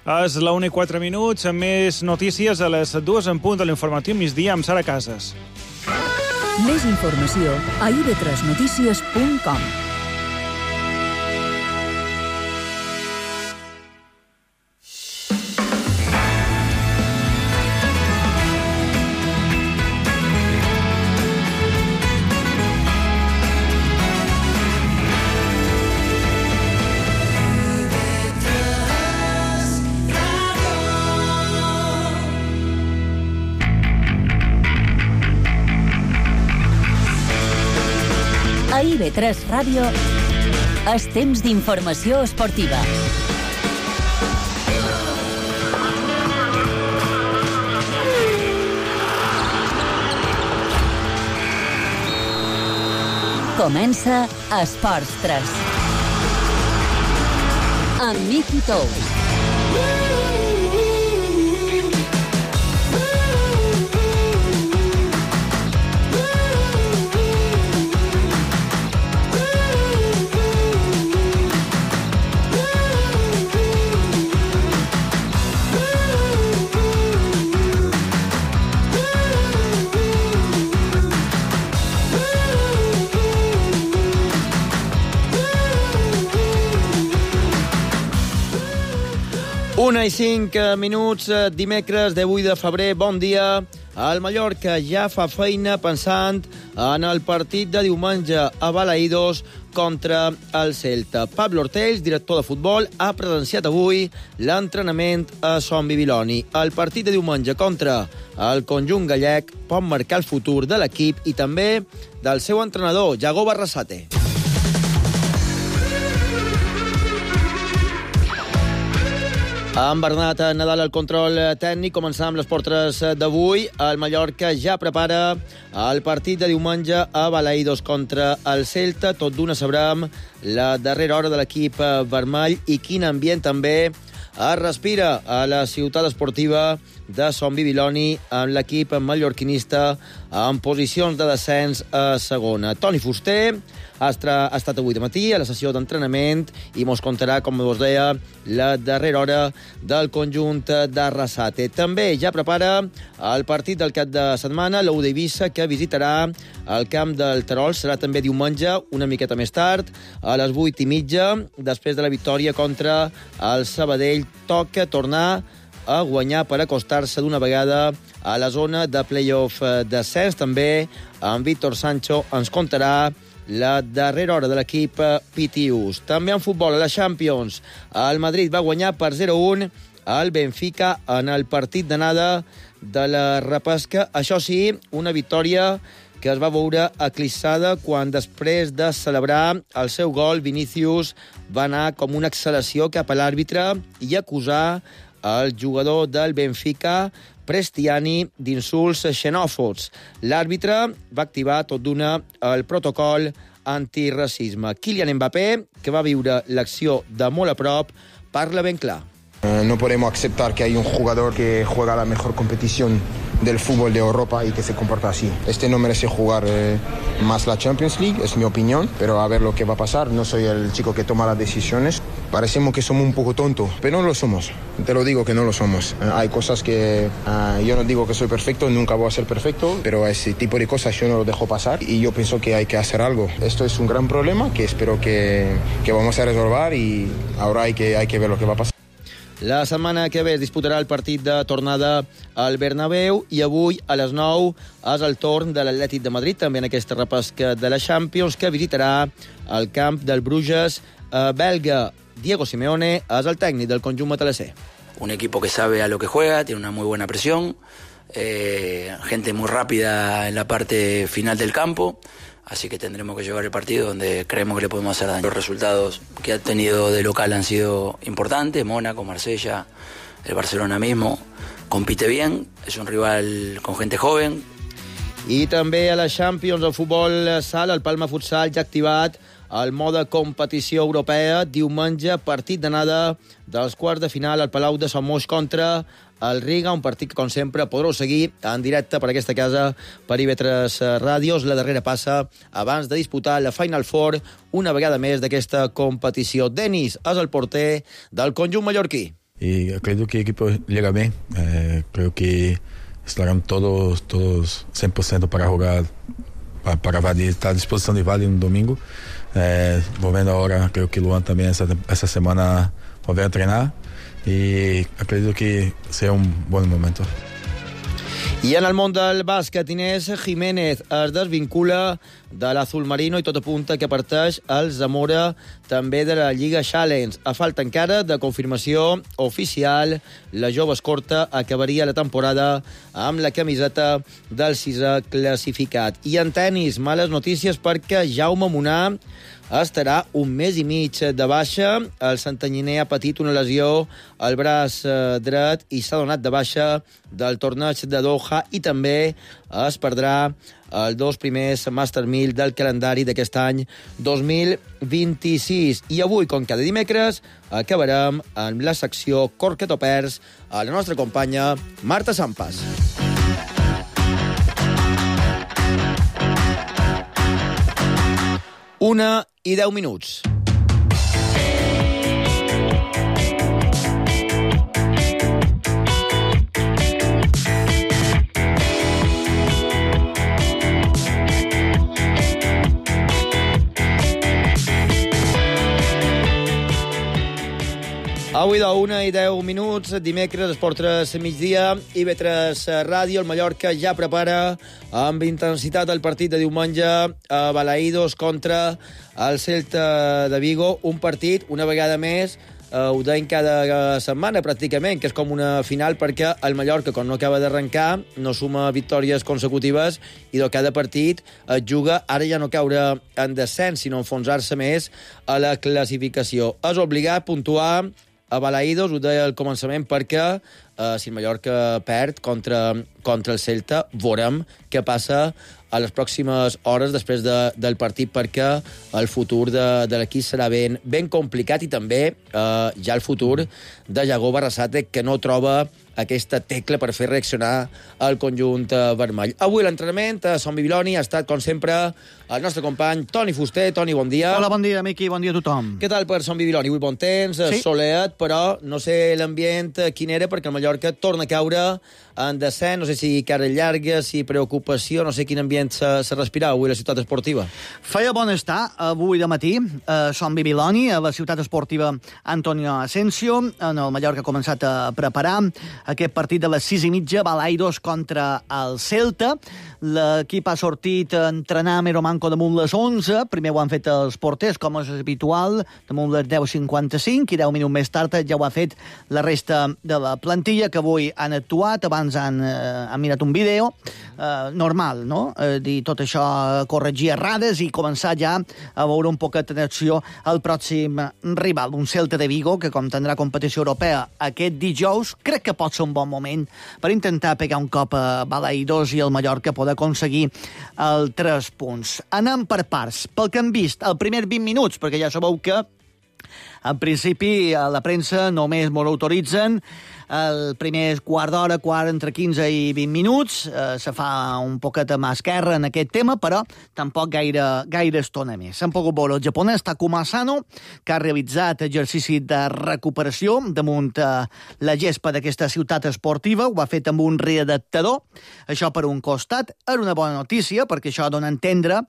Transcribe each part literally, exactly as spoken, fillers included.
És la una i quatre minuts, amb més notícies a les dues en punt de l'informatiu migdia amb Sara Casas. Més informació a i be tres notícies punt com. A i be tres Ràdio és temps d'informació esportiva. Comença Esports tres. Amb Miki Tous. Una i cinc minuts, dimecres de vuit de febrer, bon dia. El Mallorca ja fa feina pensant en el partit de diumenge a Balaïdos contra el Celta. Pablo Ortells, director de futbol, ha presenciat avui l'entrenament a Son Bibiloni. El partit de diumenge contra el conjunt gallec pot marcar el futur de l'equip i també del seu entrenador, Yago Barrasate. Amb Bernat Nadal al control tècnic, començant amb les portes d'avui. El Mallorca ja prepara el partit de diumenge a Balaïdos contra el Celta. Tot d'una sabrem la darrera hora de l'equip vermell i quin ambient també es respira a la ciutat esportiva de Son Bibiloni amb l'equip mallorquinista en posicions de descens a segona. Toni Fuster ha estat avui de matí a la sessió d'entrenament i mos contarà, com us deia, la darrera hora del conjunt d'Arrasate. També ja prepara el partit del cap de setmana, l'U d'Eivissa, que visitarà el camp del Terol. Serà també diumenge, una miqueta més tard, a les vuit i mitja, després de la victòria contra el Sabadell. Toca tornar a guanyar per acostar-se d'una vegada a la zona de play-off descens. També en Víctor Sancho ens contarà la darrera hora de l'equip Pitius. També en futbol, a la Champions, el Madrid va guanyar per zero a un al Benfica en el partit d'anada de la repesca. Això sí, una victòria que es va veure eclipsada quan, després de celebrar el seu gol, Vinícius va anar com una acceleració cap a l'àrbitre i acusar el jugador del Benfica, Prestiani, d'insults xenòfobs. L'àrbitre va activar tot d'una el protocol antiracisme. Kylian Mbappé, que va viure l'acció de molt a prop, parla ben clar. No podemos aceptar que hay un jugador que juega la mejor competición del fútbol de Europa y que se comporta así. Este no merece jugar eh, más la Champions League, es mi opinión, pero a ver lo que va a pasar. No soy el chico que toma las decisiones. Parecemos que somos un poco tontos, pero no lo somos. Te lo digo que no lo somos. Eh, hay cosas que uh, yo no digo que soy perfecto, nunca voy a ser perfecto, pero ese tipo de cosas yo no lo dejo pasar y yo pienso que hay que hacer algo. Esto es un gran problema que espero que, que vamos a resolver y ahora hay que, hay que ver lo que va a pasar. La setmana que ve es disputarà el partit de tornada al Bernabéu i avui a les nou és el torn de l'Atlètic de Madrid, també en aquesta repesca de la Champions, que visitarà el camp del Bruges eh, belga. Diego Simeone és el tècnic del conjunt matalasser. Un equipo que sabe a lo que juega, tiene una muy buena presión, eh, gente muy rápida en la parte final del campo. Así que tendremos que llevar el partido donde creemos que le podemos hacer daño. Los resultados que ha tenido de local han sido importantes. Mónaco, Marsella, el Barcelona mismo. Compite bien, es un rival con gente joven. I també a la Champions, el futbol sala, el Palma Futsal ja ha activat el mode competició europea. Diumenge, partit d'anada dels quarts de final al Palau de Sant Moix contra el Riga, un partit que, com sempre, podreu seguir en directe per aquesta casa, per i be tres Ràdios. La darrera passa abans de disputar la Final Four una vegada més d'aquesta competició. Denis és el porter del conjunt mallorquí. y creo que el equipo llega bien. Eh, creo que estarán todos, todos cien por ciento para jugar, para, para Vadí, está a disposición de Vadí un domingo. Eh, volviendo ahora, creo que Luan también esta, esta semana volver a entrenar y creo que será un buen momento. I en el món del bàsquet, Inés Jiménez es desvincula de l'Azul Marino i tot apunta que parteix al Zamora també de la Lliga Challenge. A falta encara de confirmació oficial, la jove escorta acabaria la temporada amb la camiseta del sisè classificat. I en tenis, males notícies perquè Jaume Munar estarà un mes i mig de baixa. El santanyiner ha patit una lesió al braç dret i s'ha donat de baixa del torneig de Doha i també es perdrà els dos primers Master mil del calendari d'aquest any dos mil vint-i-sis. I avui, com cada dimecres, acabarem amb la secció Corque Topers a la nostra companya Marta Sampas. Una i deu minuts. Avui de una i deu minuts, dimecres, Esport tres migdia, I B tres Ràdio. El Mallorca ja prepara amb intensitat el partit de diumenge a Balaïdos contra el Celta de Vigo. Un partit, una vegada més, eh, ho deim cada setmana pràcticament, que és com una final perquè el Mallorca, quan no acaba d'arrencar, no suma victòries consecutives i de cada partit es juga, ara ja no caure en descens, sinó enfonsar-se més a la classificació. És obligat a puntuar a Balaïdos, ho deia al començament, perquè eh, si el Mallorca perd contra, contra el Celta, veurem què passa a les pròximes hores després de, del partit, perquè el futur de, de l'equip serà ben, ben complicat i també eh, ja el futur de Yago Barrasate, que no troba aquesta tecla per fer reaccionar el conjunt vermell. Avui l'entrenament a Son Bibiloni ha estat, com sempre, el nostre company Toni Fuster. Toni, bon dia. Hola, bon dia, Miqui, bon dia a tothom. Què tal per Son Bibiloni? Avui bon temps, sí. Soleat, però no sé l'ambient quin era, perquè el Mallorca torna a caure en descens, no sé si cara llarga, si preocupació, no sé quin ambient se, se respirava avui a la ciutat esportiva. Feia bon estar avui de matí a Son Bibiloni, a la ciutat esportiva Antonio Asensio. En el Mallorca ha començat a preparar aquest partit de les sis i mitja, Balaïdos contra el Celta. L'equip ha sortit a entrenar Mero Manco damunt les onze. Primer ho han fet els porters, com és habitual, damunt les deu cinquanta-cinc, i deu minuts més tard ja ho ha fet la resta de la plantilla, que avui han actuat. Abans han, eh, han mirat un vídeo eh, normal, no? Eh, dir tot això, corregir errades i començar ja a veure un poquet d'acció al pròxim rival, un Celta de Vigo, que com tindrà competició europea aquest dijous, crec que pot ser un bon moment per intentar pegar un cop a Balaïdos i el Mallorca poder aconseguir el tres punts. Anem per parts. Pel que hem vist, el primer vint minuts, perquè ja sabeu que en principi a la premsa només m'ho autoritzen el primer quart d'hora, quart entre quinze i vint minuts. Eh, se fa un poquet a mà esquerra en aquest tema, però tampoc gaire, gaire estona més. S'han pogut veure el japonès Takuma Asano, que ha realitzat exercici de recuperació damunt eh, la gespa d'aquesta ciutat esportiva. Ho ha fet amb un readaptador. Això per un costat era una bona notícia, perquè això dona a entendre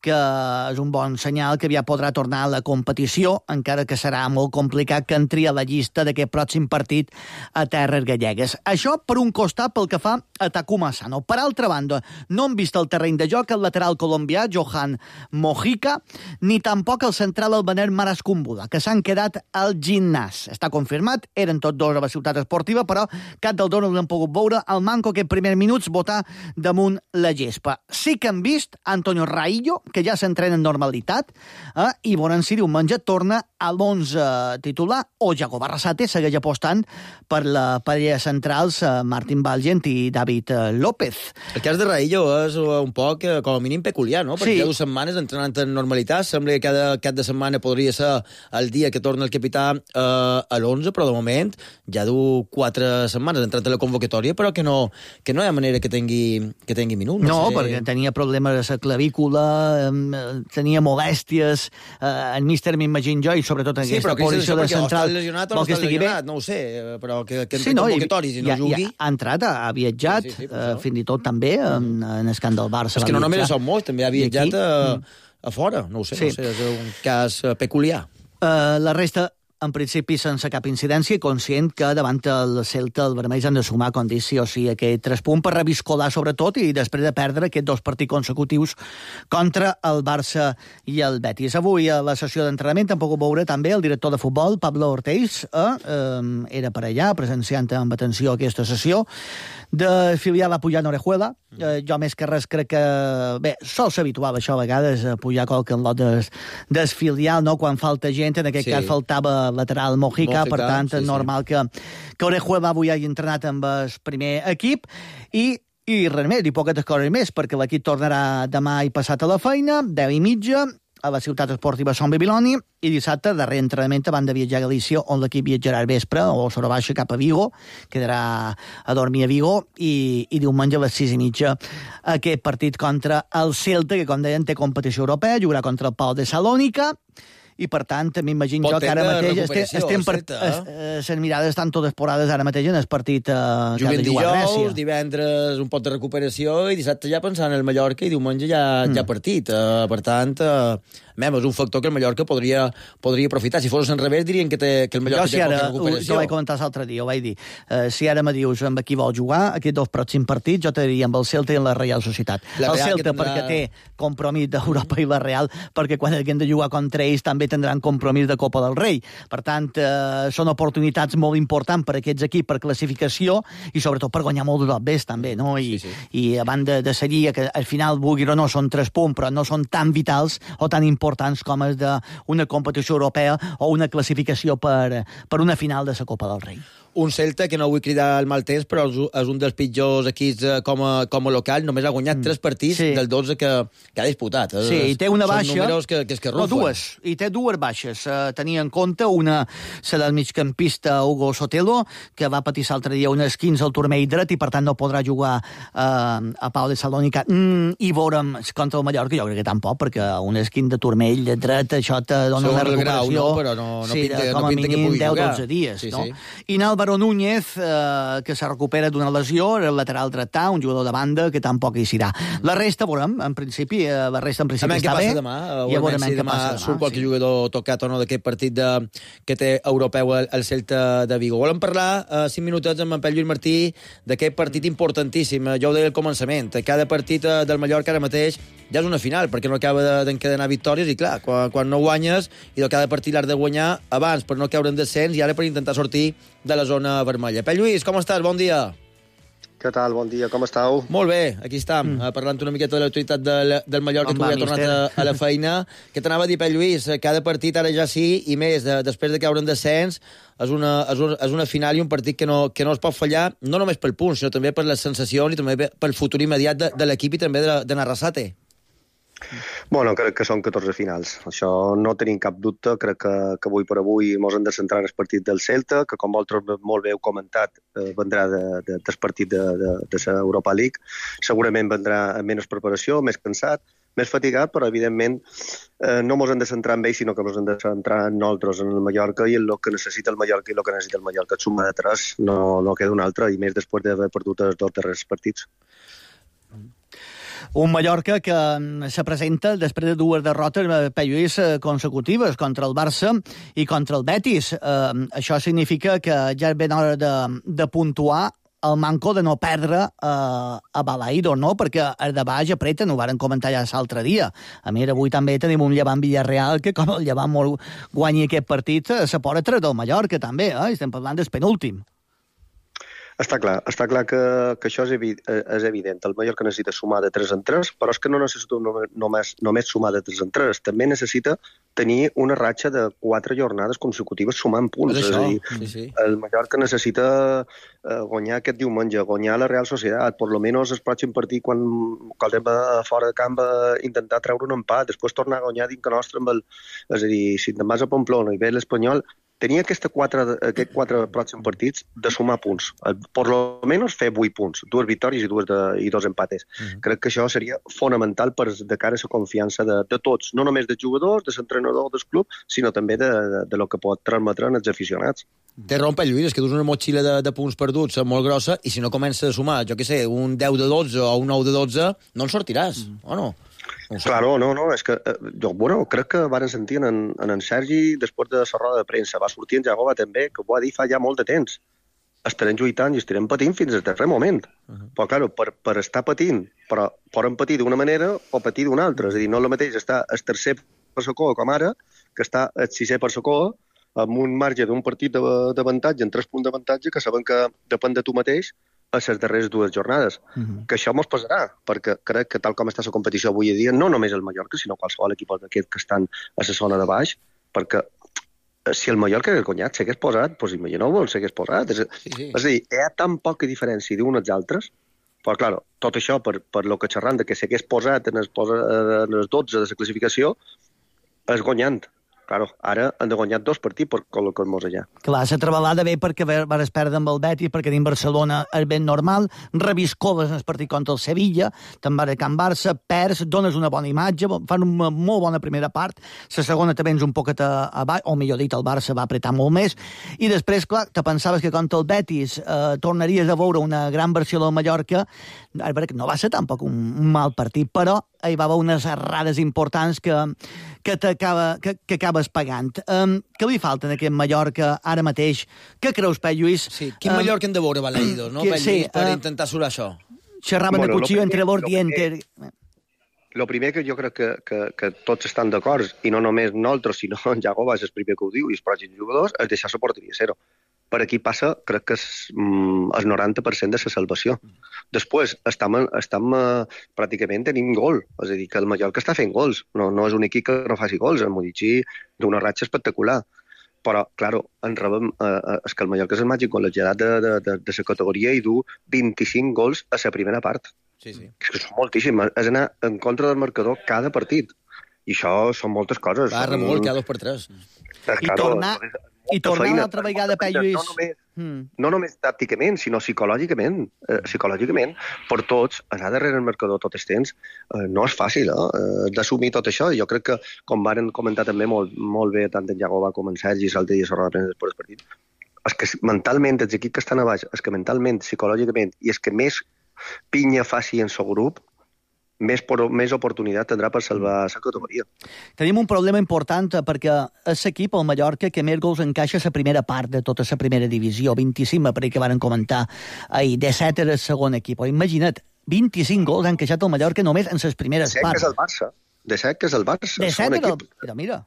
que és un bon senyal que ja podrà tornar a la competició, encara que serà molt complicat que entri a la llista d'aquest pròxim partit a terres gallegues. Això per un costat pel que fa a Takuma Asano. Per altra banda, no han vist el terreny de joc el lateral colombià Johan Mojica, ni tampoc el central albaner Maras Kumbula, que s'han quedat al gimnàs. Està confirmat, eren tots dos a la ciutat esportiva, però cap dels dos no l'han pogut veure al Manco aquest primers minuts votar damunt la gespa. Sí que han vist Antonio Raillo, que ja s'entrena en normalitat, eh? i veurem si diumenge torna a l'onze titular, o Yago Barrasate segueix apostant per la parella centrals eh, Martín Valgent i David eh, López. El cas de Raillo és un poc, eh, com a mínim, peculiar, no? Perquè sí. Ja dues setmanes entrenant en normalitat, sembla que cada cap de setmana podria ser el dia que torna el capità eh, a l'onze, però de moment ja du quatre setmanes entrant a la convocatòria, però que no, que no hi ha manera que tingui, que tingui minut. No, no sé. Perquè tenia problemes a la clavícula, tenia molèsties, eh, en míster m'imagino jo, i sobretot en sí, aquesta posició de central. Sí, però que lesionat o no està lesionat, no ho sé, però que, que sí, en no, convocatoris i no ja, jugui... Ja ha entrat, ha viatjat, sí, sí, sí, uh, fins i tot també en, en el camp del Barça. És que no només són molts, també ha viatjat a, a fora, no ho sé, sí. no sé, és un cas peculiar. Uh, la resta, en principi, sense cap incidència, conscient que davant el Celta el vermells han de sumar, com dic, sí o sí, aquest tres punts per reviscolar, sobretot, i després de perdre aquests dos partits consecutius contra el Barça i el Betis. Avui, a la sessió d'entrenament, hem pogut veure també el director de futbol, Pablo Ortiz, eh? eh era per allà, presenciant amb atenció aquesta sessió, de filial a pujar Orejuela. Eh, jo més que res crec que... Bé, sol ser habitual això a vegades, a pujar qualque lot des, des filial, no? Quan falta gent, en aquest sí. cas faltava lateral Mojica, Mojica per tant, sí, és normal sí. que, que Orejuela avui hagi entrenat amb el primer equip, i i res més, i poques coses més, perquè l'equip tornarà demà i passat a la feina, deu i mitja, a la ciutat esportiva Son Bibiloni, i dissabte, darrer entrenament, abans de viatjar a Galícia, on l'equip viatjarà al vespre, o sobre baixa cap a Vigo, quedarà a dormir a Vigo, i, i diumenge a les sis i mitja aquest partit contra el Celta, que, com deien, té competició europea, jugarà contra el Pau de Salònica, i per tant, m'imagino jo que ara mateix estem, estem per, es, les mirades estan totes porades ara mateix en el partit eh, que ha de jugar a Grècia. Dijous, divendres un pot de recuperació i dissabte ja pensant en el Mallorca i diumenge ja, mm. ja partit. Uh, per tant, uh, mem, és un factor que el Mallorca podria, podria aprofitar. Si fos al revés, dirien que, té, que el Mallorca jo, si té ara, poca recuperació. Jo vaig comentar l'altre dia, ho vaig dir. Uh, si ara me dius amb qui vol jugar, aquests dos pròxims partits, jo te diria amb el Celta i amb la Real Societat. La el Real Celta tindrà... perquè té compromís d'Europa i la Real, perquè quan haguem de jugar contra ells també tindran compromís de Copa del Rei. Per tant, eh, són oportunitats molt importants per a aquests equips per classificació i sobretot per guanyar molt d'obres també, no? I, sí, sí. i abans de, de seguir, que al final, vulgui o no, són tres punts, però no són tan vitals o tan importants com és d'una competició europea o una classificació per, per una final de la Copa del Rei. Un Celta que no vull cridar el mal temps, però és un dels pitjors equips com a, com a local. Només ha guanyat mm. tres partits sí. del dotze que, que ha disputat. Sí, i té una baixa... Són números que, que es que rufen. No, dues. I té dues baixes. Uh, tenia en compte una, la del migcampista Hugo Sotelo, que va patir l'altre dia un esquins al turmell dret i, per tant, no podrà jugar uh, a Pau de Salònica. Mm, I veurem contra el Mallorca, jo crec que tampoc, perquè un esquins de turmell de dret, això te dona una recuperació... Grau, no? Però no, no sí, pinta, de, com no a pinta mínim deu a dotze dies. Sí, no? sí. I Nalba Álvaro Núñez, eh, que se recupera d'una lesió, el lateral dretà, un jugador de banda que tampoc hi serà. La resta, veurem, en principi, eh, la resta en principi està bé. Demà, i veurem si demà, demà surt qualque sí. jugador tocat o no d'aquest partit de, que té europeu al, al Celta de Vigo. Volem parlar eh, cinc minutets amb en Pep Lluís Martí d'aquest partit importantíssim. Jo ho deia al començament. Cada partit eh, del Mallorca ara mateix ja és una final, perquè no acaba d'encadenar victòries i, clar, quan, quan no guanyes i de cada partit l'has de guanyar abans per no caure en descens i ara per intentar sortir de la zona vermella. Pep Lluís, com estàs? Bon dia. Què tal? Bon dia, com estàu? Molt bé, aquí estem, mm. parlant una miqueta de l'autoritat del, del Mallorca, que avui ha tornat a, a la feina. Què t'anava a dir, Pep Lluís? Cada partit ara ja sí, i més, de, després de caure en descens, és una, és, una, és una final i un partit que no, que no es pot fallar, no només pel punt, sinó també per les sensacions i també pel futur immediat de, de l'equip i també de, de Narrasate. Bueno, crec que són catorze finals. Això no tenim cap dubte. Crec que, que avui per avui ens hem de centrar en el partit del Celta, que com vosaltres molt bé heu comentat, eh, vendrà de, de, del partit de, de, de la Europa League. Segurament vendrà amb menys preparació, més cansat, més fatigat, però evidentment eh, no ens hem de centrar en ell, sinó que ens hem de centrar en nosaltres, en el Mallorca, i en el que necessita el Mallorca i el que necessita el Mallorca. Suma de tres, no, no queda un altre, i més després d'haver perdut els dos darrers partits. Un Mallorca que se presenta després de dues derrotes Pep Lluís consecutives contra el Barça i contra el Betis. Eh, això significa que ja és ben hora de, de puntuar el manco de no perdre eh, a Balaïdo, no? Perquè el de baix apreten, ho varen comentar ja l'altre dia. A més, avui també tenim un Llevant Villarreal que, com el Llevant molt guanyi aquest partit, se pot treure del Mallorca, també. Eh? Estem parlant del penúltim. Està clar, està clar que, que això és, evi és evident. El Mallorca necessita sumar de tres en tres, però és que no necessita només, només sumar de tres en tres. També necessita tenir una ratxa de quatre jornades consecutives sumant punts. És, és a dir, sí, sí. El Mallorca necessita eh, guanyar aquest diumenge, guanyar la Real Societat, per lo menos el pròxim partit, quan, quan anem a fora de camp, a intentar treure un empat, després tornar a guanyar dintre nostre amb el... És a dir, si te'n vas a Pamplona i ve l'Espanyol, tenia aquests quatre, aquest quatre pròxims partits de sumar punts. Per lo menys fer vuit punts, dues victòries i, dues de, i dos empates. Uh-huh. Crec que això seria fonamental per de cara a la confiança de, de tots, no només dels jugadors, de l'entrenador del club, sinó també de, de, de lo que pot transmetre als aficionats. Té rompe, Lluís, és que dus una motxilla de, de punts perduts molt grossa i si no comences a sumar, jo què sé, un deu de dotze o un nou de dotze, no en sortiràs, mm. o no? No claro, no, no, és que eh, jo, bueno, crec que van sentir en, en en Sergi després de la roda de premsa, va sortir en Jagoba també, que ho va dir fa ja molt de temps. Estarem lluitant i estarem patint fins al darrer moment. Uh -huh. Però, claro, per, per estar patint, però poden patir d'una manera o patir d'una altra. És a dir, no és el mateix estar el tercer per la cua com ara, que està el sisè per la cua, amb un marge d'un partit d'avantatge, en tres punts d'avantatge, que saben que depèn de tu mateix a les darreres dues jornades. Uh-huh. Que això mos passarà, perquè crec que tal com està la competició avui en dia, no només el Mallorca, sinó qualsevol equip d'aquests que estan a la zona de baix, perquè si el Mallorca hagués guanyat, s'hagués posat, doncs imagineu-vos, s'hagués posat. És, sí, sí. és a dir, hi ha tan poca diferència d'uns als altres, però, clar, tot això per, per lo que xerram de que s'hagués posat en els, en els dotze de la classificació, és guanyant. Claro, ara han de guanyar dos partits per col·locar-nos allà. Clar, la trebalada ve perquè vas perdre amb el Betis, perquè dins Barcelona és ben normal, reviscoles en el partit contra el Sevilla, te'n vas a Can Barça, perds, dones una bona imatge, fan una molt bona primera part, la segona te vens un poquet a, a baix, o millor dit, el Barça va apretar molt més, i després, clar, te pensaves que contra el Betis eh, tornaries a veure una gran versió del Mallorca, no va ser tampoc un, un mal partit, però hi va haver unes errades importants que, que, t'acaba, que, que acabes pagant. Um, què li falta en aquest Mallorca ara mateix? Què creus, Pep Lluís? Sí, quin um, Mallorca hem de veure, Balaïdos, no, Pep Lluís, sí, per uh, intentar surar això? Xerraven bueno, de cuchillo entre l'ordiente... El primer que jo crec que, que, que tots estan d'acord, i no només nosaltres, sinó en Jagoba és el primer que ho diu, i els pròxims jugadors, és deixar la porteria zero. Per aquí passa, crec que és mm, el noranta per cent de la salvació. Després, estem, estem uh, pràcticament tenim gol, és a dir, que el Mallorca està fent gols, no, no és un equip que no faci gols, el Modici d'una ratxa espectacular. Però, clar, en rebem, uh, és que el Mallorca és el màgic col·legiat de, de, de, de la categoria i du vint-i-cinc gols a la primera part. Sí, sí. És que són moltíssims, és anar en contra del marcador cada partit. I això són moltes coses. Va, remolc, cada dos per tres. Eh, I claro, tornar, i tornar una altra vegada, Pep Lluís. No només, mm. no només tàcticament, sinó psicològicament. Eh, psicològicament, per tots, anar darrere el marcador tot el temps, eh, no és fàcil, eh, d'assumir tot això. Jo crec que, com varen comentar també molt, molt bé, tant en Jagoba com en Sergi, l'altre dia a la roda de premsa després del partit, és que mentalment, els equips que estan a baix, és que mentalment, psicològicament, i és que més pinya faci en el grup, més, por, més oportunitat tindrà per salvar la categoria. Tenim un problema important perquè és l'equip, el Mallorca, que més gols encaixa a la primera part de tota la primera divisió. vint-i-cinc, per que van comentar ahir. disset era el segon equip. Imagina't, vint-i-cinc gols han encaixat el Mallorca només en les primeres parts. De set que és el Barça. De set que és el Barça. De set era el... Mira, mira.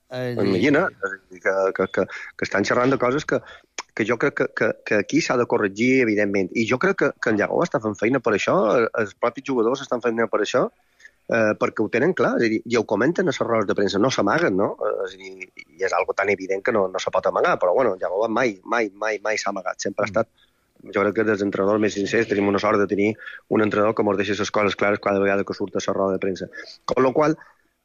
Eh, Imagina, que, que, que, que estan xerrant de coses que que jo crec que, que, que aquí s'ha de corregir, evidentment. I jo crec que, que en Jagoba està fent feina per això, els propis jugadors estan fent feina per això, eh, perquè ho tenen clar, és a dir, i ho comenten a les rodes de premsa, no s'amaguen, no? És a dir, i és algo tan evident que no, no se pot amagar, però bueno, Jagoba mai, mai, mai, mai s'ha amagat, sempre ha estat, jo crec que dels entrenadors més sincers tenim una sort de tenir un entrenador que ens deixa les coses clares cada vegada que surt a la roda de premsa. Con la qual,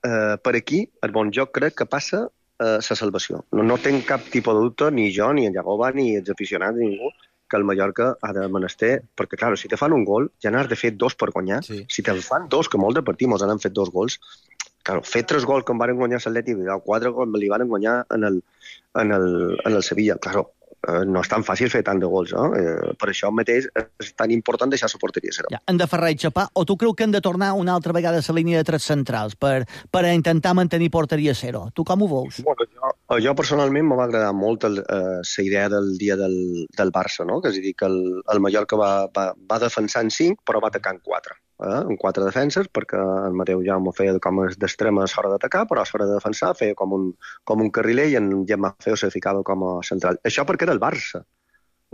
eh, per aquí, el bon joc crec que passa la uh, salvació. No, no tenc cap tipus de dubte, ni jo, ni en Jagoba, ni els aficionats, ni ningú, que el Mallorca ha de menester, perquè, clar, si te fan un gol, ja n'has de fer dos per guanyar. Sí. Si te fan dos, que molt de partit mos han fet dos gols, clar, fer tres gols que em van guanyar l'Atlètic, quatre gols li van guanyar en el, en el, en el Sevilla, clar, no és tan fàcil fer tant de gols, no? Eh, per això mateix és tan important deixar la porteria zero. Ja, han de Ferrer i Chapà, o tu creus que han de tornar una altra vegada a la línia de tres centrals per, per intentar mantenir porteria zero? Tu com ho veus? Bueno, jo, jo personalment m'ha agradat molt la eh, idea del dia del, del Barça, no? Que és a dir, que el, el Mallorca va, va, va defensar en cinc, però va atacar en quatre. Eh, en quatre defenses, perquè el Mateu Jaume feia com d'extrema a l'hora d'atacar, però a l'hora de defensar feia com un, com un carriler i en Gemma Feo se ficava com a central. Això perquè era el Barça,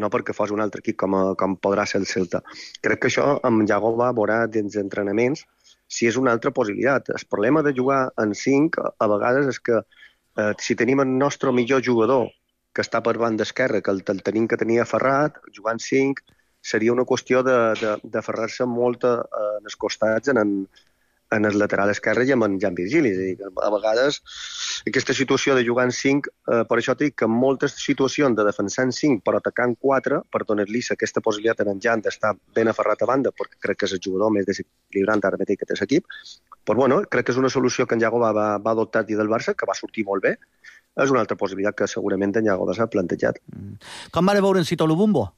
no perquè fos un altre equip com, a, com podrà ser el Celta. Crec que això amb Jagoba veurà dins d'entrenaments si és una altra possibilitat. El problema de jugar en cinc a vegades és que eh, si tenim el nostre millor jugador que està per banda esquerra, que el, el tenim que tenir aferrat, jugant cinc, seria una qüestió de, de, de ferrar-se molt en els costats en, en, en el lateral esquerre i amb en Jan Virgili. És a dir, que a vegades aquesta situació de jugar en cinc, eh, per això dic que en moltes situacions de defensar en cinc però atacar en quatre, per donar-li aquesta possibilitat a en Jan d'estar ben aferrat a banda, perquè crec que és el jugador més desequilibrant ara mateix que té l'equip, però bueno, crec que és una solució que en Iago va, va, va adoptar dins del Barça, que va sortir molt bé. És una altra possibilitat que segurament en Iago s'ha plantejat. Mm. Com va veure en Cito Lubumbo?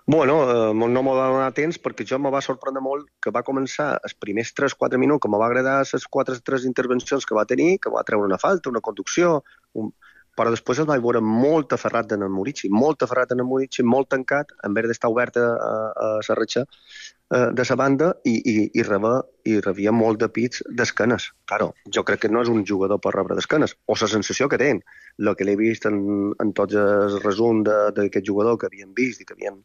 Bueno, eh, no m'ho va donar temps perquè jo me va sorprendre molt que va començar els primers tres quatre minuts, que me va agradar les quatre tres intervencions que va tenir, que va treure una falta, una conducció, un... però després el vaig veure molt aferrat en el Murici, molt aferrat en el Murici, molt tancat, en vez d'estar obert a, a la ratxa eh, de la banda i, i, i, rebia, i rebia molt de pits d'esquenes. Claro, jo crec que no és un jugador per rebre d'esquenes, o la sensació que tenen. El que l'he vist en, en tots els resums d'aquest jugador que havien vist i que havien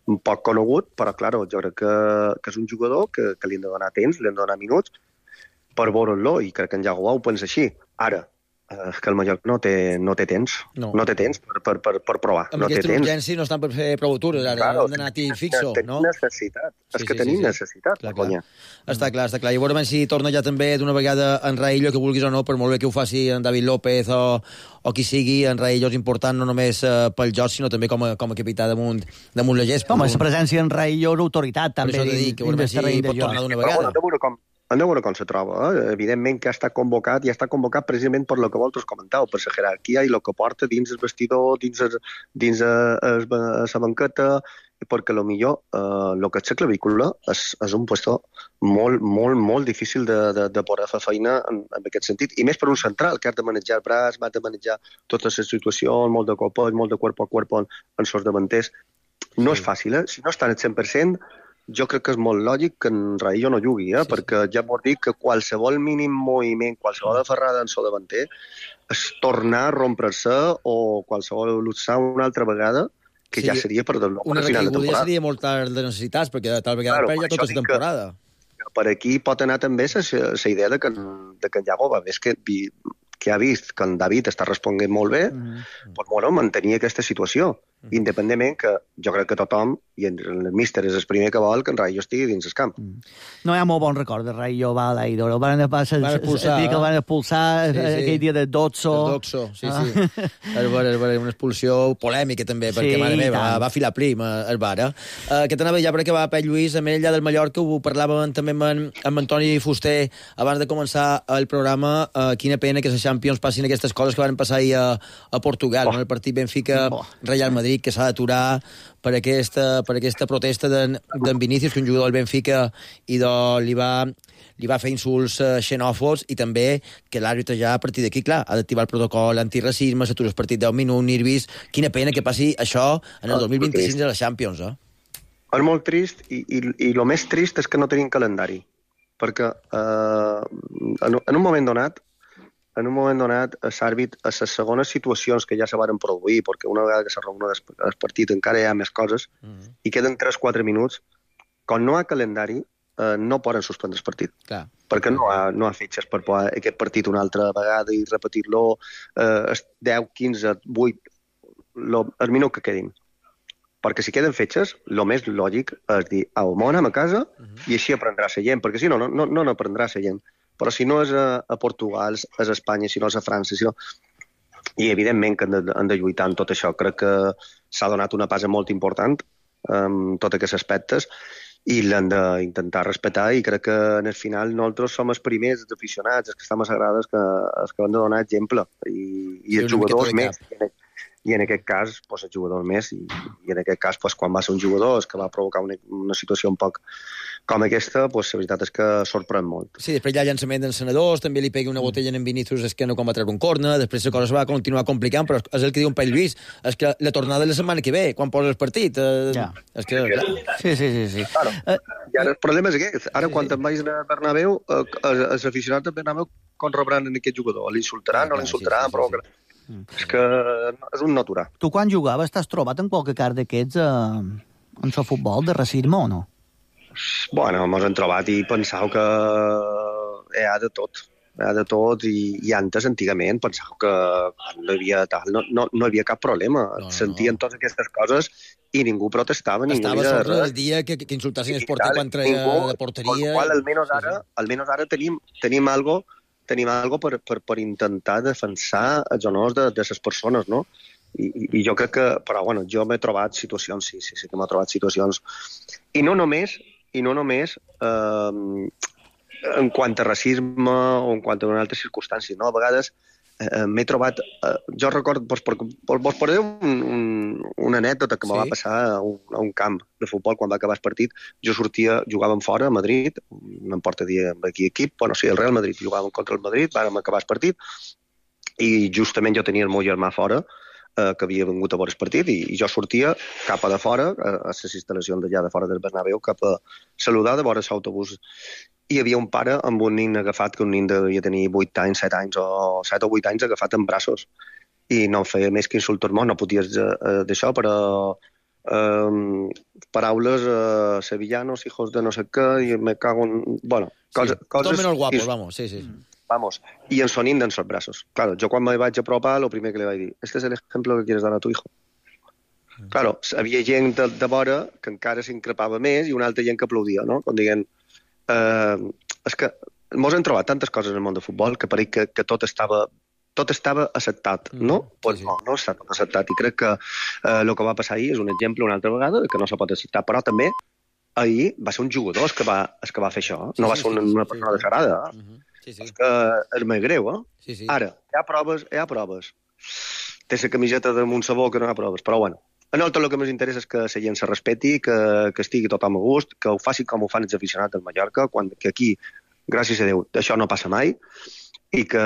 un poc conegut, però, claro, jo crec que, que és un jugador que, que li han de donar temps, li han de donar minuts per veure'l, i crec que en Iago ho pensa així. Ara, eh, que el Mallorca no té, no té temps, no, no té temps per, per, per, per provar. Amb no aquesta té urgència no estan per fer prou atures, ara claro, hem d'anar a tirar fixo, tenim no? necessitat, és sí, que sí, tenim sí, necessitat. Clar, clar. Està clar, està clar. I veurem si torna ja també d'una vegada en Raillo, que vulguis o no, per molt bé que ho faci en David López o, o qui sigui, en Raillo és important no només uh, pel joc, sinó també com a, com a capità damunt, damunt la gespa. Home, la presència en Raillo és autoritat, també. Per això t'he dit, que veurem si pot tornar d'una vegada. Però, bueno, com hem de veure com se troba. Eh? Evidentment que ha estat convocat i ha estat convocat precisament per lo que vosaltres comentàveu, per la jerarquia i el que porta dins el vestidor, dins, el, dins la banqueta, perquè millor eh, el que és la clavícula és, és un puesto molt, molt, molt difícil de, de, de poder fer feina en, en aquest sentit. I més per un central, que ha de manejar el braç, ha de manejar totes les situacions, molt de cop, molt de cuerpo a cuerpo en, en sos davanters. No sí. és fàcil, eh? Si no estan al cent per cent, jo crec que és molt lògic que en Raillo no jugui, eh? Sí, perquè ja vol dir que qualsevol mínim moviment, qualsevol aferrada en so davanter, és tornar a rompre-se o qualsevol luxar una altra vegada, que sí, ja seria per del nou una final de temporada. Ja seria molt tard de necessitats, perquè tal vegada claro, perd ja tota la temporada. Que, per aquí pot anar també la idea de que, de que en Iago va més que, que ha vist que en David està responent molt bé, mm. doncs, bueno, mantenir aquesta situació. Mm. Independentment que jo crec que tothom, i el míster és el primer que vol, que en Raillo estigui dins el camp. Mm. No hi ha molt bon record de Raillo Valaidor. El van passar, el dia que el van expulsar, sí, sí. aquell dia de Dotso. El Dotso, sí, ah. sí. És una expulsió polèmica també, sí, perquè, mare meva, va, va filar prim el bar. Eh? Uh, que t'anava ja per acabar, Pep Lluís, amb ell allà del Mallorca, ho parlàvem també amb, en, amb Antoni Fuster abans de començar el programa. Uh, quina pena que les Champions passin aquestes coses que van passar ahir a, a Portugal, oh. en el partit Benfica-Real Madrid, que s'ha d'aturar per aquesta, per aquesta protesta d'en Vinícius, que un jugador del Benfica i de, li, va, li va fer insults uh, xenòfobs, i també que l'àrbitre ja a partir d'aquí, clar, ha d'activar el protocol antiracisme, s'atura el partit deu minuts, nervis. Quina pena que passi això en el dos mil vint-i-cinc de les Champions, eh? És molt trist, i, i, i el més trist és que no tenim calendari, perquè eh, en, en un moment donat en un moment donat, l'àrbit, a les segones situacions que ja se van produir, perquè una vegada que se reúna el partit encara hi ha més coses, mm-hmm. i queden tres quatre minuts, quan no hi ha calendari, eh, no poden suspendre el partit. Clar. Perquè no hi ha, no hi ha fitxes per poder aquest partit una altra vegada i repetir-lo eh, deu, quinze, vuit, lo, el minut que quedin. Perquè si queden fetges, el més lògic és dir, au, m'ho anem a casa, mm-hmm. i així aprendrà la gent, perquè si no, no, no, no n'aprendrà la gent. Però si no és a, a Portugal, és a Espanya, si no és a França, si no... I evidentment que han de, han de lluitar en tot això. Crec que s'ha donat una passa molt important en tots aquests aspectes i l'han d'intentar respectar, i crec que en el final nosaltres som els primers, els aficionats, els que estem assegurades, que, els que han de donar exemple, i, i els jugadors més. I en aquest cas, doncs, el jugador més, i, i en aquest cas, doncs, quan va ser un jugador que va provocar una, una situació un poc com aquesta, doncs, la veritat és que sorprèn molt. Sí, després hi ha llançament dels senadors, també li pegui una botella en Vinícius, és que no quan va treure un corna, després la cosa es va continuar complicant, però és el que diu un Pell Lluís, és que la tornada de la setmana que ve, quan posa el partit, eh, ja. és que... Sí, sí, sí. sí. Claro. Uh, I ara el problema és aquest. Ara, sí, quan te'n vagis a Bernabéu, eh, els aficionats de Bernabéu com rebran en aquest jugador? L'insultaran, no l'insultaran, però... Sí, sí, sí. Mm. És que és un natural. Tu quan jugaves t'has trobat en qualque cas d'aquests eh, en el futbol de racisme o no? Bueno, mos hem trobat i pensau que hi ha de tot. hi ha de tot, i, i antes, antigament, pensava que no hi havia, tal, no, no, no hi havia cap problema. No, no, Sentien no. totes aquestes coses i ningú protestava. Estava ningú sobre el dia que, que insultassin el porter quan treia ningú, de porteria. Qual, almenys ara, sí, sí. almenys ara tenim, tenim algo, tenim algo per, per, per intentar defensar els honors de, de les persones, no? I, i, i jo crec que, però bueno, jo m'he trobat situacions, sí, sí, sí que m'he trobat situacions, i no només, i no només eh, en quant a racisme o en quant a altres circumstàncies, no? A vegades eh, m'he trobat, eh, jo recordo, vos, vos portaré un, un, una anècdota que sí? me va passar a un, a un camp de futbol quan va acabar el partit. Jo sortia, jugàvem fora a Madrid, no em porta dir aquí equip, bueno, sí, el Real Madrid, jugàvem contra el Madrid, vàrem acabar el partit, i justament jo tenia el meu germà fora, eh, que havia vingut a veure el partit, i, i jo sortia cap a de fora, a, a les instal·lacions d'allà de fora del Bernabéu, cap a saludar de vora l'autobús. I hi havia un pare amb un nin agafat, que un nin devia tenir vuit anys, set anys, o set o vuit anys, agafat en braços. I no feia més que insultar-me, no podies eh, d'això, però eh, paraules eh, sevillanos, hijos de no sé què, i me cago en... Bueno, coses... Sí, coses tot menys guapos, vamos, sí, sí. Vamos, y en sonín de en sus brazos. Claro, yo cuando me vaig a apropar, lo primer que le vaig dir, este es el ejemplo que quieres dar a tu hijo. Mm. Claro, havia gent de, de vora que encara s'increpava més i una altra gent que aplaudia, no? Com dient, eh, és que mos hem trobat tantes coses en el món de futbol que pareix que, que tot estava tot estava acceptat, no? Mm, pues sí, sí. No, no està tot acceptat, i crec que eh, el que va passar ahir és un exemple una altra vegada que no se pot acceptar, però també ahir va ser un jugador que va, que va fer això, sí, no va ser una, una persona sí, sí. desagradada. Uh -huh. Sí, sí. És que és més greu, eh? Sí, sí. Ara, hi ha proves, hi ha proves. Té la camiseta damunt sabó que no hi ha proves, però bueno. A nosaltres el que més interessa és que la gent se respeti, que, que estigui tothom a gust, que ho faci com ho fan els aficionats del Mallorca, quan, que aquí, gràcies a Déu, això no passa mai, i que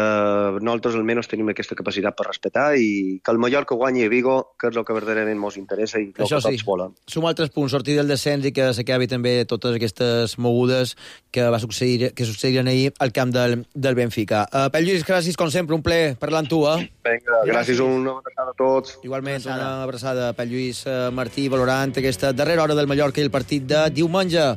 nosaltres almenys tenim aquesta capacitat per respetar, i que el Mallorca guanyi a Vigo, que és el que verdaderament ens interessa i el això que tots sí. volen. Sumar altres punts, sortir del descens i que s'acabi també totes aquestes mogudes que va succeir, que succediren ahir al camp del, del Benfica. Uh, Pep Lluís, gràcies, com sempre, un plaer parlar amb tu, eh? Vinga, gràcies, una abraçada a tots. Igualment, una abraçada a Pep Lluís Martí, valorant aquesta darrera hora del Mallorca i el partit de diumenge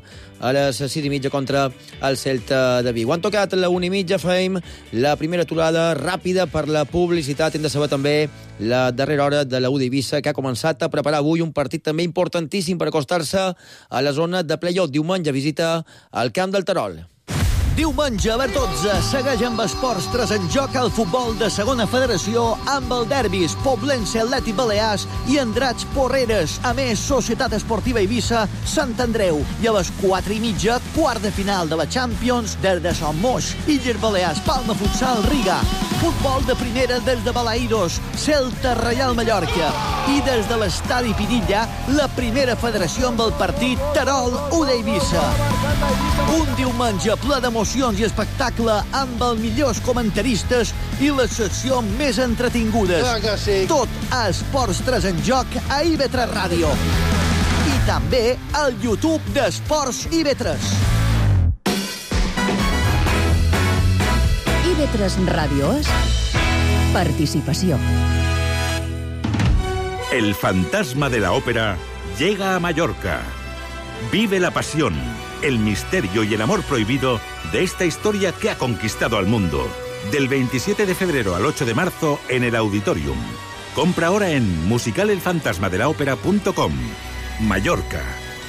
a les sis i mitja contra el Celta de Vigo. Han tocat la una i mitja, fem la primera aturada ràpida per la publicitat. Hem de saber també la darrera hora de la U d'Eivissa, que ha començat a preparar avui un partit també importantíssim per acostar-se a la zona de play-off. Diumenge visita al camp del Terol. Diumenge a les dotze segueix amb Esports tres en joc al futbol de segona federació amb el derbis Poblense Atlètic Balears i Andratx Porreres. A més, Societat Esportiva Eivissa Sant Andreu. I a les quatre i mitja, quart de final de la Champions des de Son Moix. Illes Balears, Palma Futsal, Riga. Futbol de primera des de Balaidos, Celta Reial Mallorca. I des de l'estadi Pinilla, la primera federació amb el partit Terol U d'Eivissa. Un diumenge ple d'emocions i espectacle amb els millors comentaristes i les seccions més entretingudes. Ah, sí. Tot a Esports tres en joc a I V tres Ràdio. I també al YouTube d'Esports I V tres. I V tres Ràdio és participació. El fantasma de la ópera llega a Mallorca. Vive la pasión, el misterio y el amor prohibido de esta historia que ha conquistado al mundo. Del veintisiete de febrero al ocho de marzo en el Auditorium. Compra ahora en musical el fantasma de la ópera punto com. Mallorca.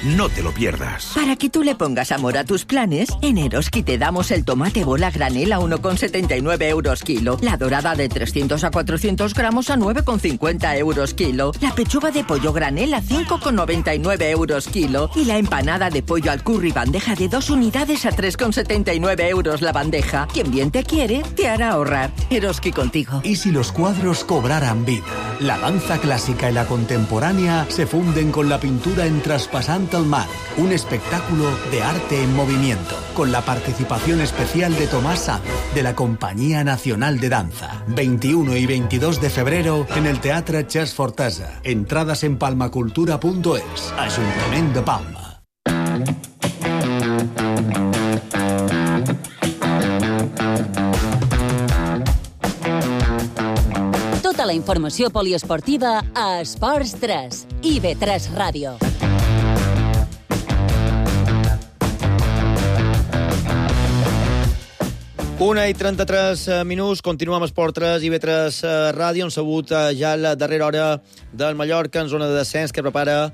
No te lo pierdas. Para que tú le pongas amor a tus planes, en Eroski te damos el tomate bola granel a uno con setenta y nueve euros kilo, la dorada de trescientos a cuatrocientos gramos a nueve con cincuenta euros kilo, la pechuga de pollo granel a cinco con noventa y nueve euros kilo y la empanada de pollo al curry bandeja de dos unidades a tres con setenta y nueve euros la bandeja. Quien bien te quiere, te hará ahorrar. Eroski contigo. ¿Y si los cuadros cobraran vida? La danza clásica y la contemporánea se funden con la pintura en Traspasante al Mar, un espectáculo de arte en movimiento, con la participación especial de Tomás Sanz, de la Compañía Nacional de Danza. veintiuno y veintidós de febrero en el Teatre Ches Fortesa. Entradas en palmacultura punto es. Ayuntamiento de Palma. Tota la informació poliesportiva a Esports tres, I V tres Ràdio. Una i trenta-tres minuts, continuem amb Esport tres i B tres Ràdio. Han sabut ja la darrera hora del Mallorca en zona de descens, que prepara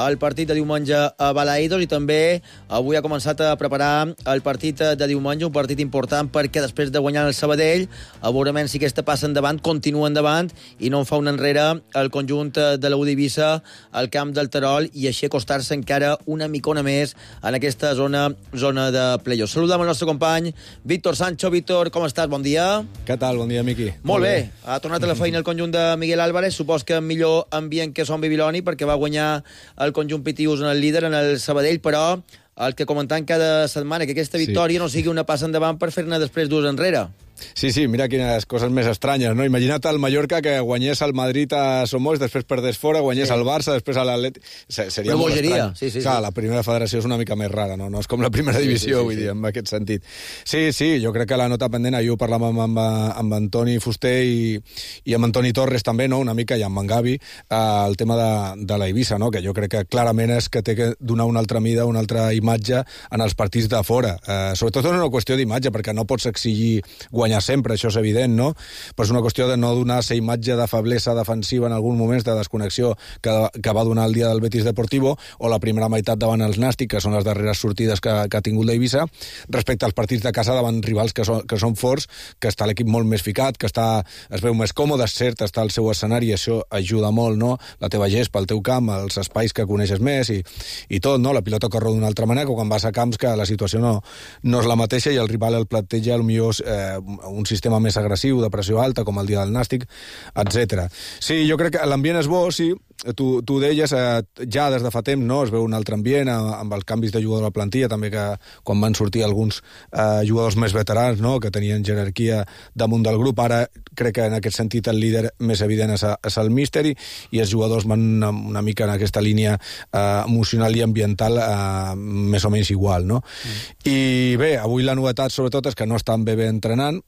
el partit de diumenge a Balaidos, i també avui ha començat a preparar el partit de diumenge, un partit important perquè després de guanyar el Sabadell, a veure si aquesta passa endavant, continua endavant i no en fa un enrere el conjunt de l'U d'Eivissa al camp del Terol, i així acostar-se encara una micona més en aquesta zona zona de playoff. Saludem el nostre company Víctor Sancho. Víctor, com estàs? Bon dia. Què tal? Bon dia, Miqui. Molt bé. bé. Ha tornat a la feina el conjunt de Miguel Álvarez. Supos que millor ambient que Son Bibiloni, perquè va guanyar el conjunt Pitius en el líder, en el Sabadell, però el que comentant cada setmana, que aquesta victòria sí. no sigui una passa endavant per fer-ne després dues enrere. Sí, sí, mira quines coses més estranyes, no? Imagina't el Mallorca que guanyés el Madrid a Somos, després perdés fora, guanyés sí. el Barça, després a l'Atlètic... Seria una molt bogeria. estrany. Sí, sí, Clar, sí. la primera federació és una mica més rara, no? No és com la primera divisió, sí, sí, sí, vull sí. dir, en aquest sentit. Sí, sí, jo crec que la nota pendent, ahir ho parlàvem amb, amb Antoni Fuster i, i amb Antoni Torres també, no? Una mica, i amb en Gavi, eh, el tema de, de la Eivissa, no? Que jo crec que clarament és que té que donar una altra mida, una altra imatge en els partits de fora. Eh, sobretot és una qüestió d'imatge, perquè no pots exigir guanyar sempre, això és evident, no? Però és una qüestió de no donar aquesta imatge de feblesa defensiva en alguns moments, de desconnexió que, que va donar el dia del Betis Deportivo, o la primera meitat davant els Nàstic, que són les darreres sortides que, que ha tingut l'Eivissa, respecte als partits de casa davant rivals que són, que són forts, que està l'equip molt més ficat, que està, es veu més còmode, és cert, està al seu escenari, i això ajuda molt, no? La teva gespa, el teu camp, els espais que coneixes més, i, i tot, no? La pilota corre d'una altra manera, que quan vas a camps que la situació no, no és la mateixa, i el rival el planteja potser eh, un sistema més agressiu, de pressió alta, com el dia del Nàstic, etcètera. Sí, jo crec que l'ambient és bo, sí, tu, tu deies, eh, ja des de fa temps, no?, es veu un altre ambient, amb els canvis de jugador a la plantilla, també que quan van sortir alguns eh, jugadors més veterans, no?, que tenien jerarquia damunt del grup, ara crec que en aquest sentit el líder més evident és, és el míster, i els jugadors van una, una mica en aquesta línia eh, emocional i ambiental eh, més o menys igual, no? Mm. I bé, avui la novetat sobretot és que no estan bé bé entrenant.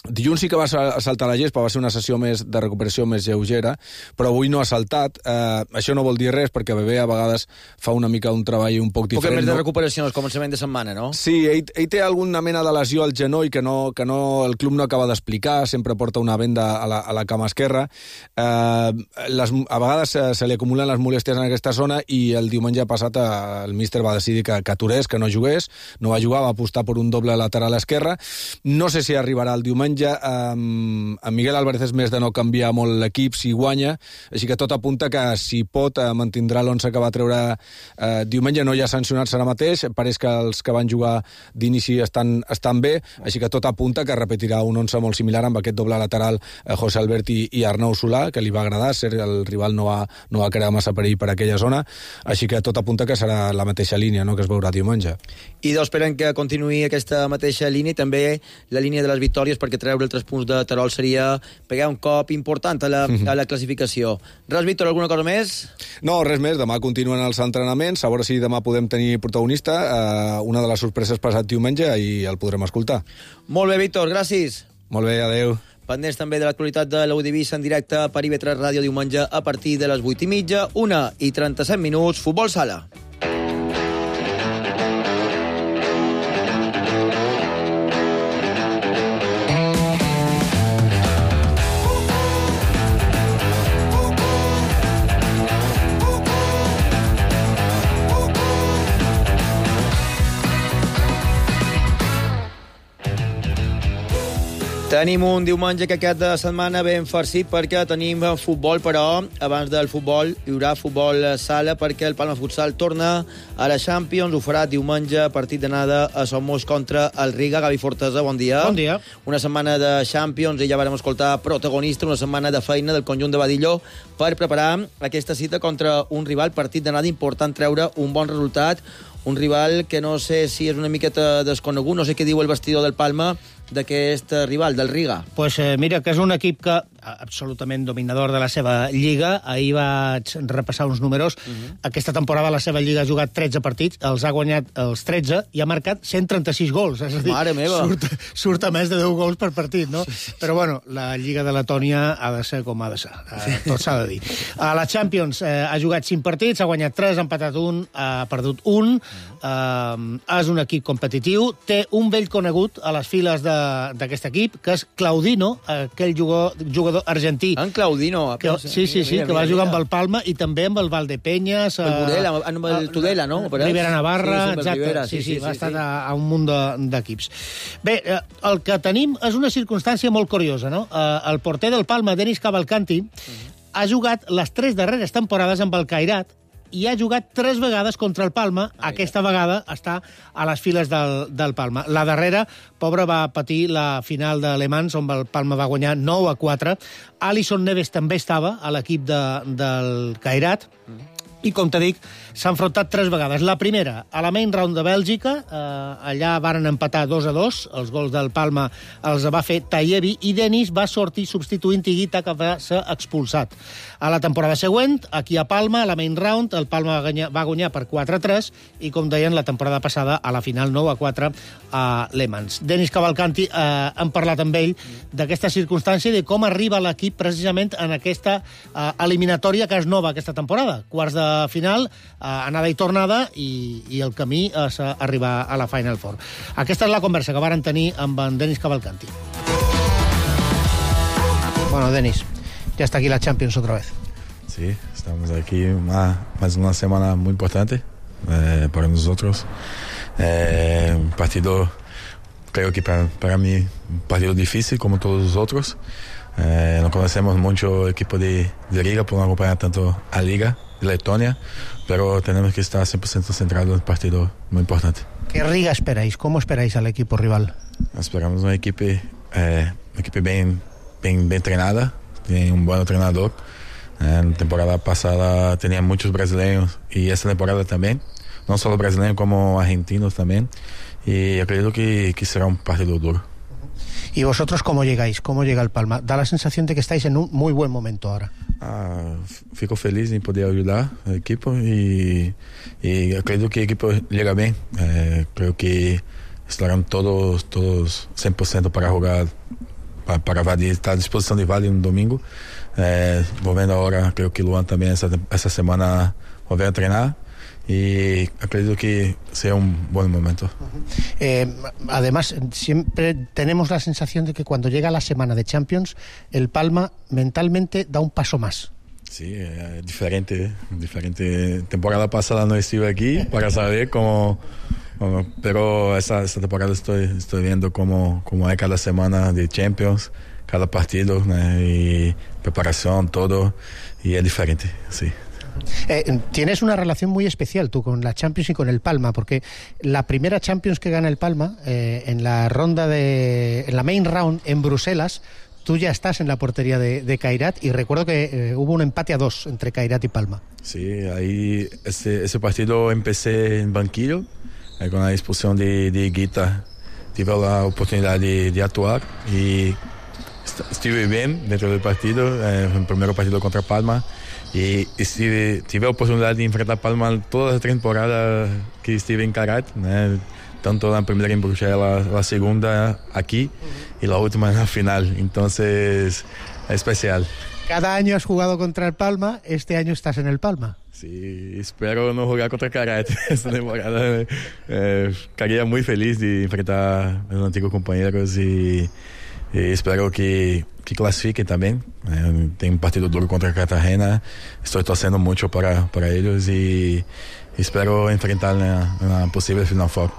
Dilluns sí que va saltar la gespa, va ser una sessió més de recuperació més lleugera, però avui no ha saltat. Eh, això no vol dir res, perquè Bebé a vegades fa una mica un treball un poc diferent. Un poc més no? de recuperació al començament de setmana, no? Sí, ell, ell té alguna mena de lesió al genoll que, no, que no, el club no acaba d'explicar, sempre porta una venda a la, a la cama esquerra. Eh, les, a vegades se, se li acumulen les molèsties en aquesta zona, i el diumenge passat eh, el míster va decidir que, que aturés, que no jugués, no va jugar, va apostar per un doble lateral esquerra. No sé si arribarà el diumenge. Um, en Miguel Álvarez és més de no canviar molt l'equip si guanya, així que tot apunta que si pot uh, mantindrà l'onze que va treure uh, diumenge. No hi ha sancionats ara mateix, pareix que els que van jugar d'inici estan, estan bé, així que tot apunta que repetirà un onze molt similar amb aquest doble lateral uh, José Albert i, i Arnau Solà, que li va agradar, ser el rival no va, no va crear massa perill per aquella zona, així que tot apunta que serà la mateixa línia, no?, que es veurà diumenge. I doncs esperen que continuï aquesta mateixa línia, també la línia de les victòries, perquè treure els tres punts de Terol seria pegar un cop important a la, a la classificació. Res, Víctor, alguna cosa més? No, res més. Demà continuen els entrenaments, a veure si demà podem tenir protagonista, eh, una de les sorpreses passat diumenge, i el podrem escoltar. Molt bé, Víctor, gràcies. Molt bé, adeu. Pendents també de l'actualitat de l'U d'Eivissa en directe per I B tres Ràdio diumenge a partir de les vuit i mitja, una i trenta-set minuts, Futbol Sala. Tenim un diumenge que aquesta setmana ben farcit, perquè tenim futbol, però abans del futbol hi haurà futbol sala, perquè el Palma Futsal torna a la Champions. Ho farà diumenge, partit d'anada a Somos contra el Riga. Gavi Fortesa, bon dia. Bon dia. Una setmana de Champions, i ja vam escoltar protagonista, una setmana de feina del conjunt de Badillo per preparar aquesta cita contra un rival, partit d'anada important, treure un bon resultat, un rival que no sé si és una miqueta desconegut, no sé què diu el vestidor del Palma d'aquest rival, del Riga. Pues eh, mira, que és un equip que absolutament dominador de la seva lliga. Ahir vaig repassar uns números. Uh-huh. Aquesta temporada la seva lliga ha jugat tretze partits, els ha guanyat els tretze i ha marcat cent trenta-sis gols. És a dir, mare meva! Surt, surt a més de deu gols per partit, no? Però, bueno, la lliga de Letònia ha de ser com ha de ser. Eh, tot s'ha de dir. A la Champions eh, ha jugat cinc partits, ha guanyat tres, ha empatat un, ha perdut un. Uh, és un equip competitiu. Té un vell conegut a les files d'aquest equip, que és Claudino, aquell jugador, jugador argentí. En Claudino. Que, sí, sí, sí, mira, que va mira, jugar mira. amb el Palma i també amb el Valdepeñas. El Burela, amb el Tudela, no? Rivera Navarra, sí, exacte. Rivera, sí, sí, sí, sí, va sí, estar sí. A, a un munt d'equips. Bé, el que tenim és una circumstància molt curiosa, no? El porter del Palma, Denis Cavalcanti, uh-huh. ha jugat les tres darreres temporades amb el Cairat i ha jugat tres vegades contra el Palma. Ai, Aquesta ja. vegada està a les files del, del Palma. La darrera, pobre, va patir la final de Le Mans, on el Palma va guanyar nou a quatre. Alison Neves també estava a l'equip de, del Cairat. Mm. I, com te dic, s'ha enfrontat tres vegades. La primera, a la main round de Bèlgica, eh, allà varen empatar dos a dos, els gols del Palma els va fer Tayebi, i Denis va sortir substituint Higuita, que va ser expulsat. A la temporada següent, aquí a Palma, a la main round, el Palma va guanyar, va guanyar per quatre a tres, i, com deien, la temporada passada, a la final nou a quatre a Le Mans. Denis Cavalcanti, eh, hem parlat amb ell d'aquesta circumstància i de com arriba l'equip precisament en aquesta eh, eliminatòria que és nova aquesta temporada. Quarts de final, eh, anada i tornada, i, i el camí és arribar a la Final Four. Aquesta és la conversa que varen tenir amb en Denis Cavalcanti. Bueno, Denis, ya está aquí la Champions otra vez. Sí, estamos aquí más, más una semana muy importante eh, para nosotros. Eh, un partido, creo que para, para mí, un partido difícil como todos los otros. Eh, no conocemos mucho equipo de, de Liga por no acompañar tanto a Liga de Letonia, pero tenemos que estar cien por ciento centrados en un partido muy importante. ¿Qué Riga esperáis? ¿Cómo esperáis al equipo rival? Esperamos una equipo, eh, una equipo bien, bien, bien entrenada, tiene un buen entrenador. En la temporada pasada tenía muchos brasileños y esta temporada también, no solo brasileños como argentinos también, y yo creo que, que será un partido duro. ¿Y vosotros cómo llegáis? ¿Cómo llega el Palma? Da la sensación de que estáis en un muy buen momento ahora. Ah, fico feliz en poder ayudar al equipo y, y creo que el equipo llega bien. Eh, creo que estarán todos, todos cien por ciento para jugar, para, para Valle, estar a disposición de Valle un domingo. Eh, volviendo ahora, creo que Luan también esta, esta semana volver a entrenar. Y acredito que sea un buen momento. Eh, además, siempre tenemos la sensación de que cuando llega la semana de Champions, el Palma mentalmente da un paso más. Sí, eh, diferente, diferente. Temporada pasada no estuve aquí para saber cómo, cómo pero esta, esta temporada estoy, estoy viendo cómo, cómo hay cada semana de Champions, cada partido, ¿no? Y preparación, todo, y es diferente, sí. Eh, tienes una relación muy especial tú con la Champions y con el Palma, porque la primera Champions que gana el Palma, eh, en la ronda de, en la main round en Bruselas, tú ya estás en la portería de, de Cairat, y recuerdo que eh, hubo un empate a dos entre Cairat y Palma. Sí, ahí ese, ese partido empecé en banquillo, eh, con la expulsión de, de Higuita, tuve la oportunidad de, de actuar y estuve bien dentro del partido, eh, el primer partido contra Palma. Y estive, tive a oportunidad de enfrentar Palma todas las temporadas que estuve en Cairat, ¿no? Tanto la primera en Bruselas, la segunda aquí y la última en la final. Entonces, es especial. Cada año has jugado contra el Palma, este año estás en el Palma. Sí, espero no jugar contra Cairat esta temporada. Eh, estaría muy feliz de enfrentar a los antiguos compañeros y, y espero que que clasifique también. Eh, tem un partido duro contra Cartagena, estoy torciendo mucho para, para ellos y espero enfrentar en una posible Final Four.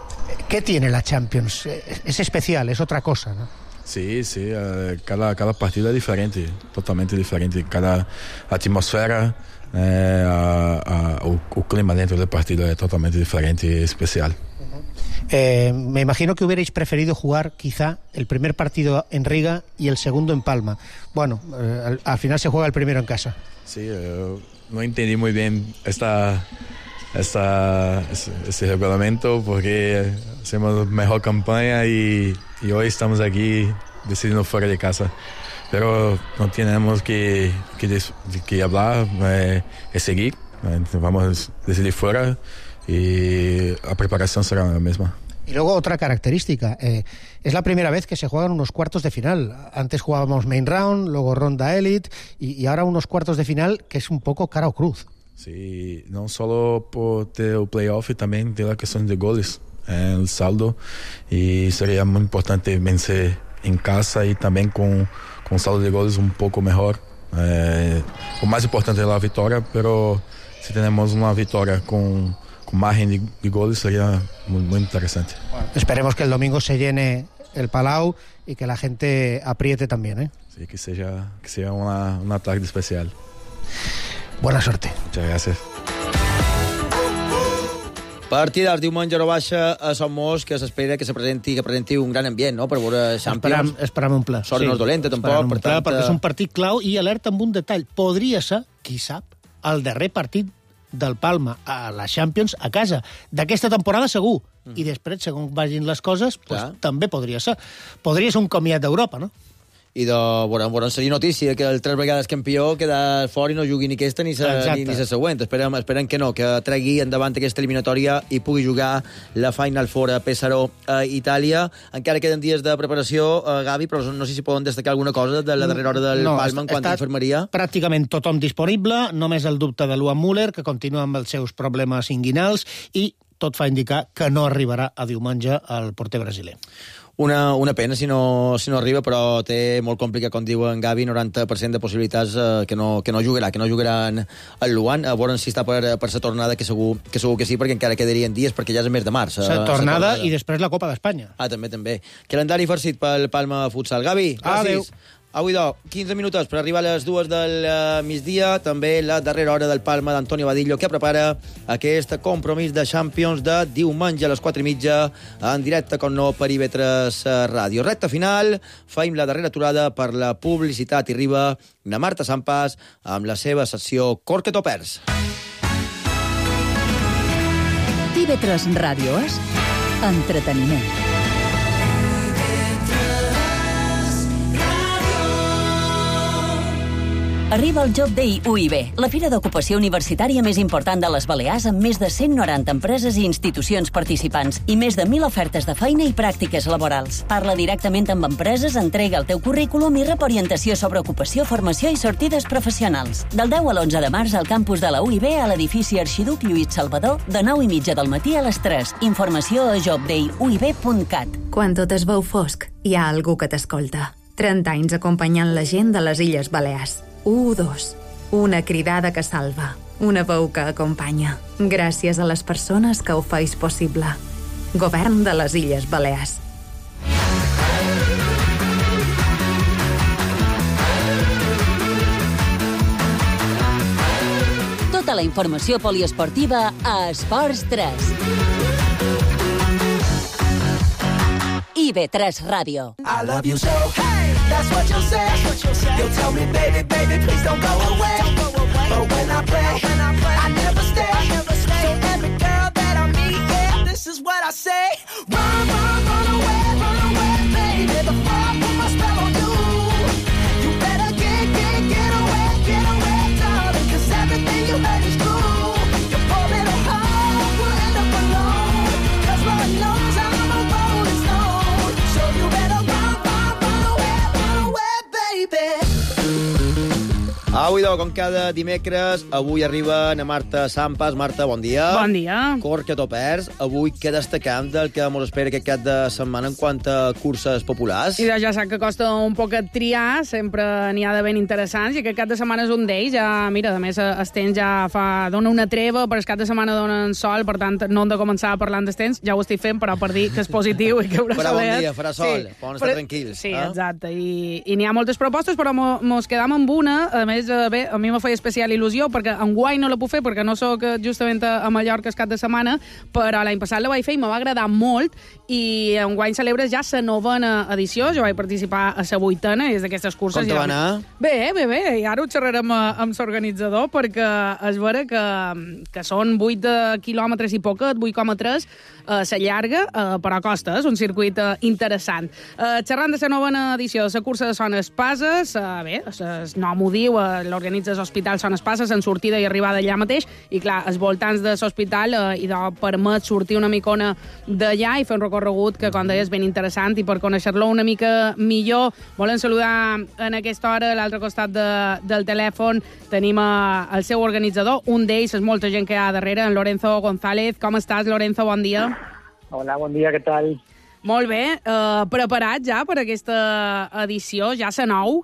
¿Qué tiene la Champions? Es especial, es otra cosa, ¿no? Sí, sí, uh, cada, cada partido es diferente, totalmente diferente, cada atmósfera, eh, uh, uh, o, o clima dentro del partido es totalmente diferente y especial. Eh, me imagino que hubierais preferido jugar quizá el primer partido en Riga y el segundo en Palma. Bueno, eh, al, al final se juega el primero en casa. Sí, eh, no entendí muy bien esta, esta, ese, ese reglamento porque hacemos mejor campaña y, y hoy estamos aquí decidiendo fuera de casa. pero no tenemos que, que, que hablar, eh, es seguir, eh, vamos desde fuera y la preparación será la misma. Y luego otra característica, eh, es la primera vez que se juegan unos cuartos de final. Antes jugábamos main round, luego ronda elite y, y ahora unos cuartos de final que es un poco cara o cruz. Sí, no solo por el playoff, también de la cuestión de goles, eh, el saldo, y sería muy importante vencer en casa y también con, con saldo de goles un poco mejor. Eh, lo más importante es la victoria, pero si tenemos una victoria con... con margen de, de goles sería muy, muy interesante. Bueno, esperemos que el domingo se llene el Palau y que la gente apriete también, ¿eh? Sí, que sea, que sea una, una tarde especial. Buena suerte. Muchas gracias. Partidars diumenge a baixa a Son Mos, que s'espera que se presenti, que presenti un gran ambient, no?, per veure Champions. Esperam, esperam un ple. Sort sí, no és dolenta, tampoc. Per tant, perquè és un partit clau i alerta amb un detall. Podria ser, qui sap, el darrer partit del Palma a la Champions a casa. D'aquesta temporada segur. Mm. I després, segons vagin les coses, pues, també podria ser. Podria ser un comiat d'Europa, no? I de, bueno, bueno, seria notícia que el tres vegades campió queda fora i no jugui ni aquesta ni la ni, ni següent. Esperem, esperem que no, que tregui endavant aquesta eliminatòria i pugui jugar la Final Four a Pesaro, a Itàlia. Encara queden dies de preparació, uh, Gavi, però no sé si poden destacar alguna cosa de la darrera hora del no, Palma en quant a infermeria. Pràcticament tothom disponible, només el dubte de Luan Müller, que continua amb els seus problemes inguinals, i tot fa indicar que no arribarà a diumenge el porter brasiler. Una, una pena si no, si no arriba, però té molt complicat, com diu en Gavi, noranta per cent de possibilitats eh, que, no, que no jugarà, que no jugarà en, en Luan. A veure si està per, per sa tornada, que segur, que segur que sí, perquè encara quedarien dies, perquè ja és el mes de març. Sa tornada, tornada i després la Copa d'Espanya. Ah, també, també. Calendari farcit pel Palma Futsal. Gavi, gràcies. Adéu. Avui, do, quinze minuts per arribar a les dues del uh, migdia, també la darrera hora del Palma d'Antonio Badillo, que prepara aquest compromís de Champions de diumenge a les quatre i mitja, en directe, com no, per I V tres Ràdio. Recta final, faim la darrera aturada per la publicitat i arriba na Marta Sampas amb la seva secció Corque Topers. I V tres Ràdio és entreteniment. Arriba el Job Day U I B, la fira d'ocupació universitària més important de les Balears, amb més de cent noranta empreses i institucions participants i més de mil ofertes de feina i pràctiques laborals. Parla directament amb empreses, entrega el teu currículum i rep orientació sobre ocupació, formació i sortides professionals. Del deu a l'onze de març al campus de la U I B a l'edifici Arxiduc Lluís Salvador, de nou i mitja del matí a les tres. Informació a job day u i b punt cat. Quan tot es veu fosc, hi ha algú que t'escolta. trenta anys acompanyant la gent de les Illes Balears. u dos. Una cridada que salva. Una veu que acompanya. Gràcies a les persones que ho feis possible. Govern de les Illes Balears. Tota la informació poliesportiva a Esports tres. I V tres Ràdio. I love you so, hey, that's what you'll say. You'll tell me, baby, baby, please don't go away. But when I play, I never stay. So every girl that I meet, yeah, this is what I say. Run, run, run away, run away, baby, before I put my spell on you. You better get, get, get away, get away, darling, 'cause everything you heard is true. Your poor little heart will end up alone, 'cause Lord knows I'm a rolling stone. So you better run, run, run away, run away, baby. Avui, com cada dimecres, avui arriba na Marta Sampas. Marta, bon dia. Bon dia. Corque Topers. Avui què destacam del que mos espera aquest cap de setmana en quant a curses populars? I ja sap que costa un poc triar, sempre n'hi ha de ben interessants, i aquest cap de setmana és un d'ells. Ja, mira, a més, el temps ja fa, dona una treva, però el cap de setmana donen sol, per tant, no hem de començar parlant del temps, ja ho estic fent, però per dir que és positiu i que haurà farà bon dia, farà sol, sí, poden estar però, tranquils. Sí, eh? exacte, i, i n'hi ha moltes propostes, però mos quedam amb una, a més, ben bé, a mi me feia especial il·lusió, perquè enguany no la puc fer, perquè no sóc justament a Mallorca el cap de setmana, però l'any passat la vaig fer i me va agradar molt, i enguany celebres ja la novena edició. Jo vaig participar a la vuitena, i és d'aquestes curses... Com te va anar? Bé, bé, bé, i ara ho xerrarem amb l'organitzador, perquè és vera que, que són vuit quilòmetres i poquet, vuit coma tres, eh, la llarga, eh, però a costa, és un circuit eh, interessant. Eh, xerrant de la novena edició de la cursa de Son Espases, eh, bé, el nom ho diu, eh, l'organitza l'Hospital Son Espases, en sortida i arribada allà mateix, i clar, els voltants de l'hospital eh, i de permet sortir una micona d'allà i fer un recorregut que, com deies, ben interessant, i per conèixer-lo una mica millor, volen saludar en aquesta hora, a l'altre costat de, del telèfon, tenim eh, el seu organitzador, un d'ells és molta gent que hi ha darrere, en Lorenzo González. Com estàs, Lorenzo? Bon dia. Hola, bon dia, què tal? Molt bé. Eh, preparat ja per aquesta edició? Ja se nou?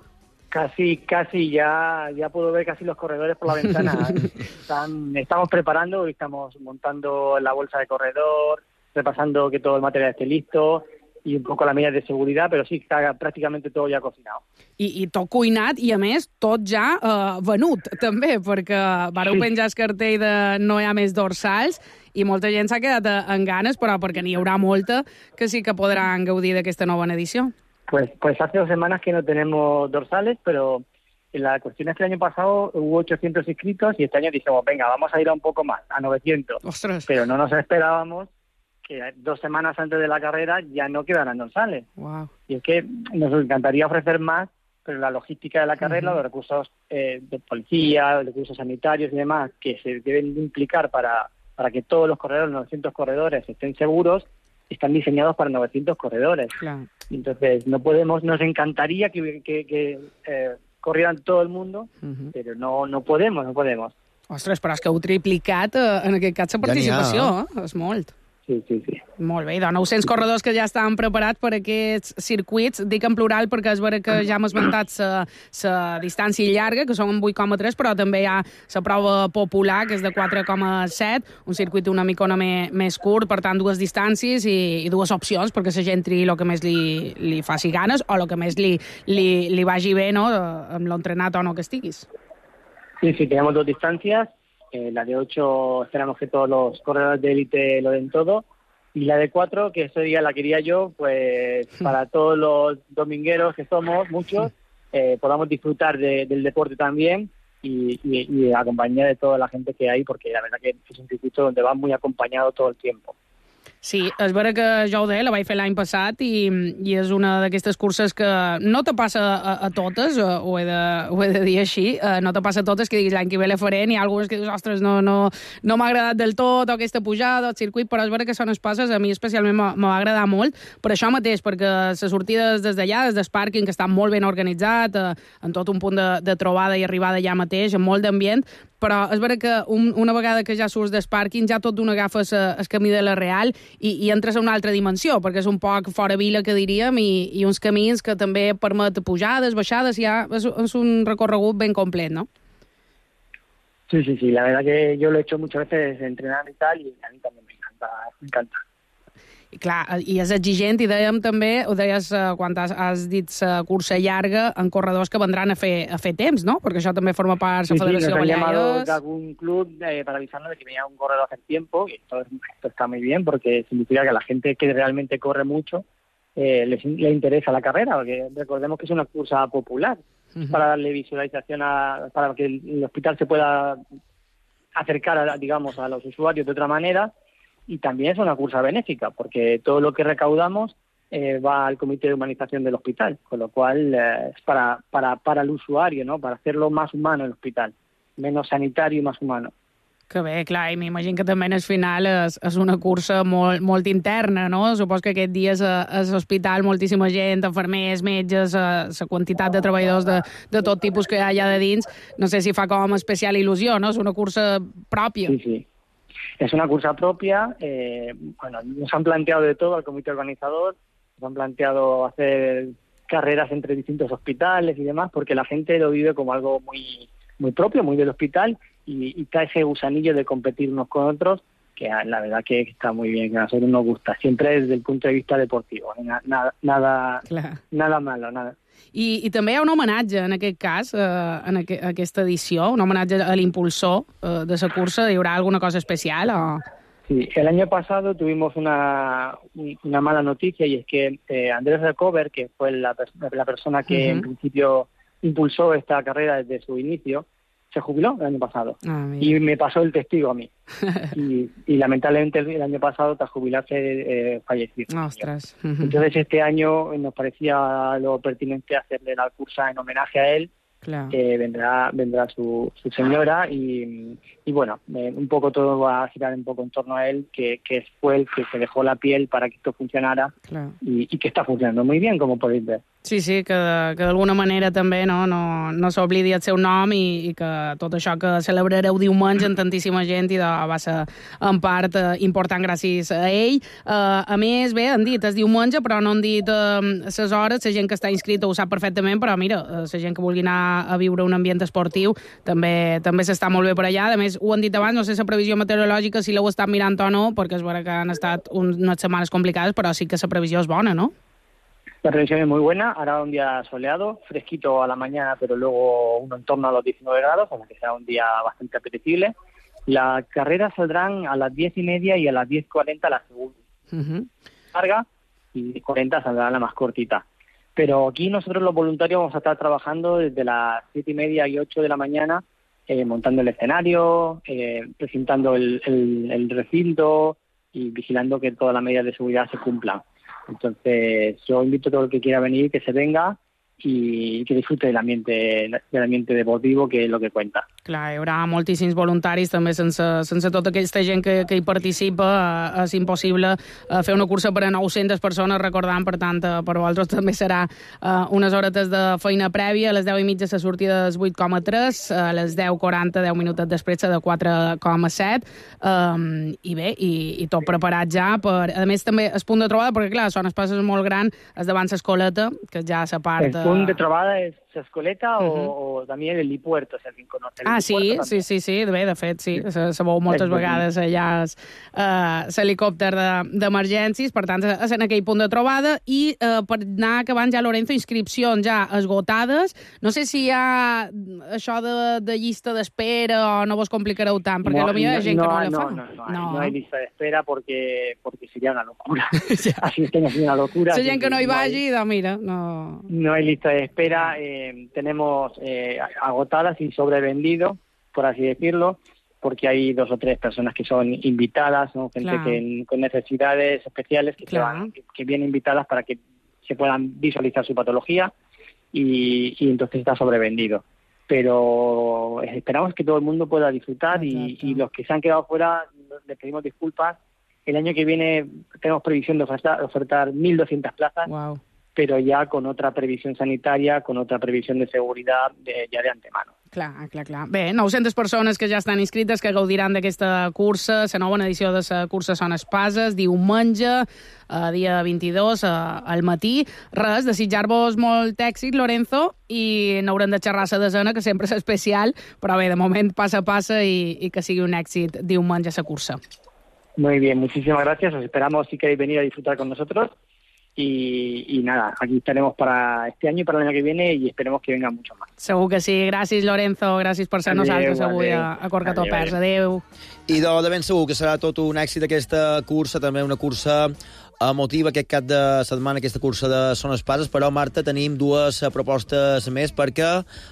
Casi, casi, ya, ya puedo ver casi los corredores por la ventana. Están, estamos preparando, estamos montando la bolsa de corredor, repasando que todo el material esté listo, i un poco la medidas de seguridad, però sí, està pràcticament tot ja cocinat. I, i tot cuinat, i a més, tot ja eh, venut, també, perquè vareu sí. penjar el cartell de no hi ha més dorsals, i molta gent s'ha quedat en ganes, però perquè n'hi haurà molta que sí que podran gaudir d'aquesta nova edició. Pues, pues hace dos semanas que no tenemos dorsales, pero la cuestión es que el año pasado hubo ochocientos inscritos y este año dijimos, venga, vamos a ir a un poco más, a novecientos. ¡Ostras! Pero no nos esperábamos que dos semanas antes de la carrera ya no quedaran dorsales. Wow. Y es que nos encantaría ofrecer más, pero la logística de la carrera, uh-huh. los recursos eh, de policía, los recursos sanitarios y demás, que se deben implicar para, para que todos los corredores, los novecientos corredores, estén seguros, están diseñados para novecientos corredores. Claro. Entonces, no podemos, nos encantaría que, que, que eh, corrieran todo el mundo, uh-huh. pero no, no podemos, no podemos. Ostres, però és que heu triplicat eh, en aquest cas la participació, ja eh? És molt. Sí, sí, sí. Molt bé, i de nou-cents corredors que ja estan preparats per aquests circuits. Dic en plural perquè és vera que ja hem esmentat la distància llarga, que són vuit coma tres, però també hi ha la prova popular, que és de quatre coma set, un circuit una micona me, més curt, per tant, dues distàncies i, i dues opcions, perquè la gent triï el que més li, li faci ganes o el que més li, li, li vagi bé, no?, amb l'entrenat o no que estiguis. Sí, sí, tenemos dos distancias. Eh, la de ocho esperamos que todos los corredores de élite lo den todo, y la de cuatro, que ese día la quería yo, pues para todos los domingueros que somos, muchos, eh, podamos disfrutar de, del deporte también y, y, y acompañar de toda la gente que hay, porque la verdad que es un circuito donde va muy acompañado todo el tiempo. Sí, és vera que jo ho deia, la vaig fer l'any passat i, i és una d'aquestes curses que no te passa a, a totes, ho he, de, ho he de dir així, no te passa a totes que diguis l'any que ve la faré, n'hi ha algunes que dius, ostres, no, no, no m'ha agradat del tot, o aquesta pujada, el circuit, però és vera que són espases, a mi especialment me va agradar molt, per això mateix, perquè les sortides des d'allà, des del pàrquing, que està molt ben organitzat, en tot un punt de, de trobada i arribada allà mateix, amb molt d'ambient, però és vera que un, una vegada que ja surts del pàrquing ja tot d'una agafes el camí de la Real i, i entres a una altra dimensió, perquè és un poc fora vila, que diríem, i, i uns camins que també permet pujades, baixades, ja és, és un recorregut ben complet, ¿no? Sí, sí, sí, la verdad que yo lo he hecho muchas veces entrenando y tal, y a mí también me encanta, me encanta. I clar, i és exigent, i dèiem també, ho deies uh, quan has, has dit la uh, cursa llarga, en corredors que vendran a fer, a fer temps, ¿no? Perquè això també forma part de la sí, Federació sí, nos han llamado Baleares. de algún club eh, para avisarnos de que venía un corredor a hacer tiempo, y esto, esto está muy bien, porque significa que a la gente que realmente corre mucho eh, les, le interesa la carrera, porque recordemos que es una cursa popular, uh-huh. para darle visualización, a, para que el hospital se pueda acercar, a, digamos, a los usuarios de otra manera. Y también es una cursa benéfica, porque todo lo que recaudamos eh, va al comité de humanización del hospital, con lo cual eh, es para, para, para el usuario, ¿no? Para hacerlo más humano el hospital, menos sanitario y más humano. Que bé, clar, i m'imagino que també en el final és, és una cursa molt, molt interna, no? Supos que aquest dia és a l'hospital moltíssima gent, enfermers, metges, la quantitat de treballadors de, de tot tipus que hi ha allà de dins, no sé si fa com especial il·lusió, no? És una cursa pròpia. Sí, sí. Es una cursa propia, eh, bueno, nos han planteado de todo al comité organizador, nos han planteado hacer carreras entre distintos hospitales y demás, porque la gente lo vive como algo muy, muy propio, muy del hospital, y, y está ese gusanillo de competir unos con otros, que la verdad que está muy bien, que a nosotros nos gusta, siempre desde el punto de vista deportivo, nada, nada, claro. nada malo, nada. I, i també hi ha un homenatge, en aquest cas, eh, en aqu aquesta edició, un homenatge a l'impulsor eh, de la cursa. Hi haurà alguna cosa especial o...? Sí, el año pasado tuvimos una, una mala noticia y es que eh, Andrés Recover, que fue la, la persona que uh-huh. en principio impulsó esta carrera desde su inicio, se jubiló el año pasado. Ah, y me pasó el testigo a mí. y, y lamentablemente el, el año pasado, tras jubilarse, eh, falleció. Ostras. Uh-huh. Entonces este año nos parecía lo pertinente hacerle la cursa en homenaje a él. Claro. Eh, vendrá vendrá su, su señora y, y bueno, eh, un poco todo va a girar un poco en torno a él, que, que fue el que se dejó la piel para que esto funcionara. Claro. y, y que está funcionando muy bien, como podéis ver. Sí, sí, que, que d'alguna manera també no, no, no s'oblidi el seu nom i, i que tot això que celebrareu diumenge amb tantíssima gent i de, va ser en part eh, important gràcies a ell. Eh, a més, bé, han dit és diumenge, però no han dit les eh, hores. La gent que està inscrita ho sap perfectament, però mira, la gent que vulgui anar a viure un ambient esportiu també també s'està molt bé per allà. A més, ho han dit abans, no sé la previsió meteorològica si l'heu estat mirant o no, perquè és vera que han estat unes setmanes complicades, però sí que la previsió és bona, no? La previsión es muy buena, hará un día soleado, fresquito a la mañana, pero luego uno en torno a los diecinueve grados, o sea que será un día bastante apetecible. Las carreras saldrán a las diez y media y a las diez cuarenta la segunda. Uh-huh. Larga y cuarenta saldrá la más cortita. Pero aquí nosotros los voluntarios vamos a estar trabajando desde las siete y media y ocho de la mañana, eh, montando el escenario, eh, presentando el, el, el recinto y vigilando que todas las medidas de seguridad se cumplan. Entonces, yo invito a todo el que quiera venir, que se venga i que disfrute del ambiente, del ambiente deportivo, que és el que cuenta. Clar, hi haurà moltíssims voluntaris, també sense, sense tota aquesta gent que, que hi participa, eh, és impossible eh, fer una cursa per a nou-centes persones, recordant, per tant, eh, per vosaltres també serà eh, unes horetes de feina prèvia, a les deu i mitja la sortida és vuit coma tres, a les deu quaranta, deu minuts després de quatre coma set, eh, i bé, i, i tot preparat ja, per, a més també el punt de trobada, perquè clar, Son Espases és molt gran, és davant l'escoleta, que ja s'aparta... El punt de trobada és Escoleta uh-huh. o, o també l'helipuerto, si alguien conoce el Ah, sí, sí, sí, sí, bé, de fet, sí, se, se veu moltes vegades allà l'helicòpter uh, d'emergències, de, per tant, és en aquell punt de trobada, i uh, per anar acabant ja, Lorenzo, inscripcions ja esgotades, no sé si hi ha això de, de llista d'espera o no vos complicareu tant, perquè no, potser hi ha gent no, que no la no, fa. No, no, no, no hay lista de espera porque, porque sería una locura. Así es que no es una locura. La gent que no hi vagi, no hay, mira, no... No hay lista de espera, eh, tenemos eh, agotadas y sobrevendido, por así decirlo, porque hay dos o tres personas que son invitadas, ¿no? Gente claro. que, con necesidades especiales que, claro. van, que, que vienen invitadas para que se puedan visualizar su patología y, y entonces está sobrevendido. Pero esperamos que todo el mundo pueda disfrutar y, y los que se han quedado fuera les pedimos disculpas. El año que viene tenemos previsión de ofertar, ofertar mil doscientas plazas. Wow. Pero ya con otra previsión sanitaria, con otra previsión de seguridad de, ja de antemano. Clar, clar, clar. Bé, nou-centes persones que ja estan inscrites, que gaudiran d'aquesta cursa, la nova edició de la cursa Son Espases, diumenge, eh, dia vint-i-dos, eh, al matí. Res, desitjar-vos molt èxit, Lorenzo, i n'haurem de xerrar la desena, que sempre és especial, però bé, de moment passa a passa i, i que sigui un èxit diumenge la cursa. Muy bien, muchísimas gracias. Os esperamos si queréis venir a disfrutar con nosotros. Y, y nada, aquí estaremos para este año y para el año que viene y esperemos que vengan muchos más. Segur que sí. Gràcies, Lorenzo. Gràcies per ser nosaltres avui a, a Corcatopers. Adéu. I de, de ben segur que serà tot un èxit aquesta cursa, també una cursa emotiva aquest cap de setmana, aquesta cursa de Son Espases, però, Marta, tenim dues propostes més, perquè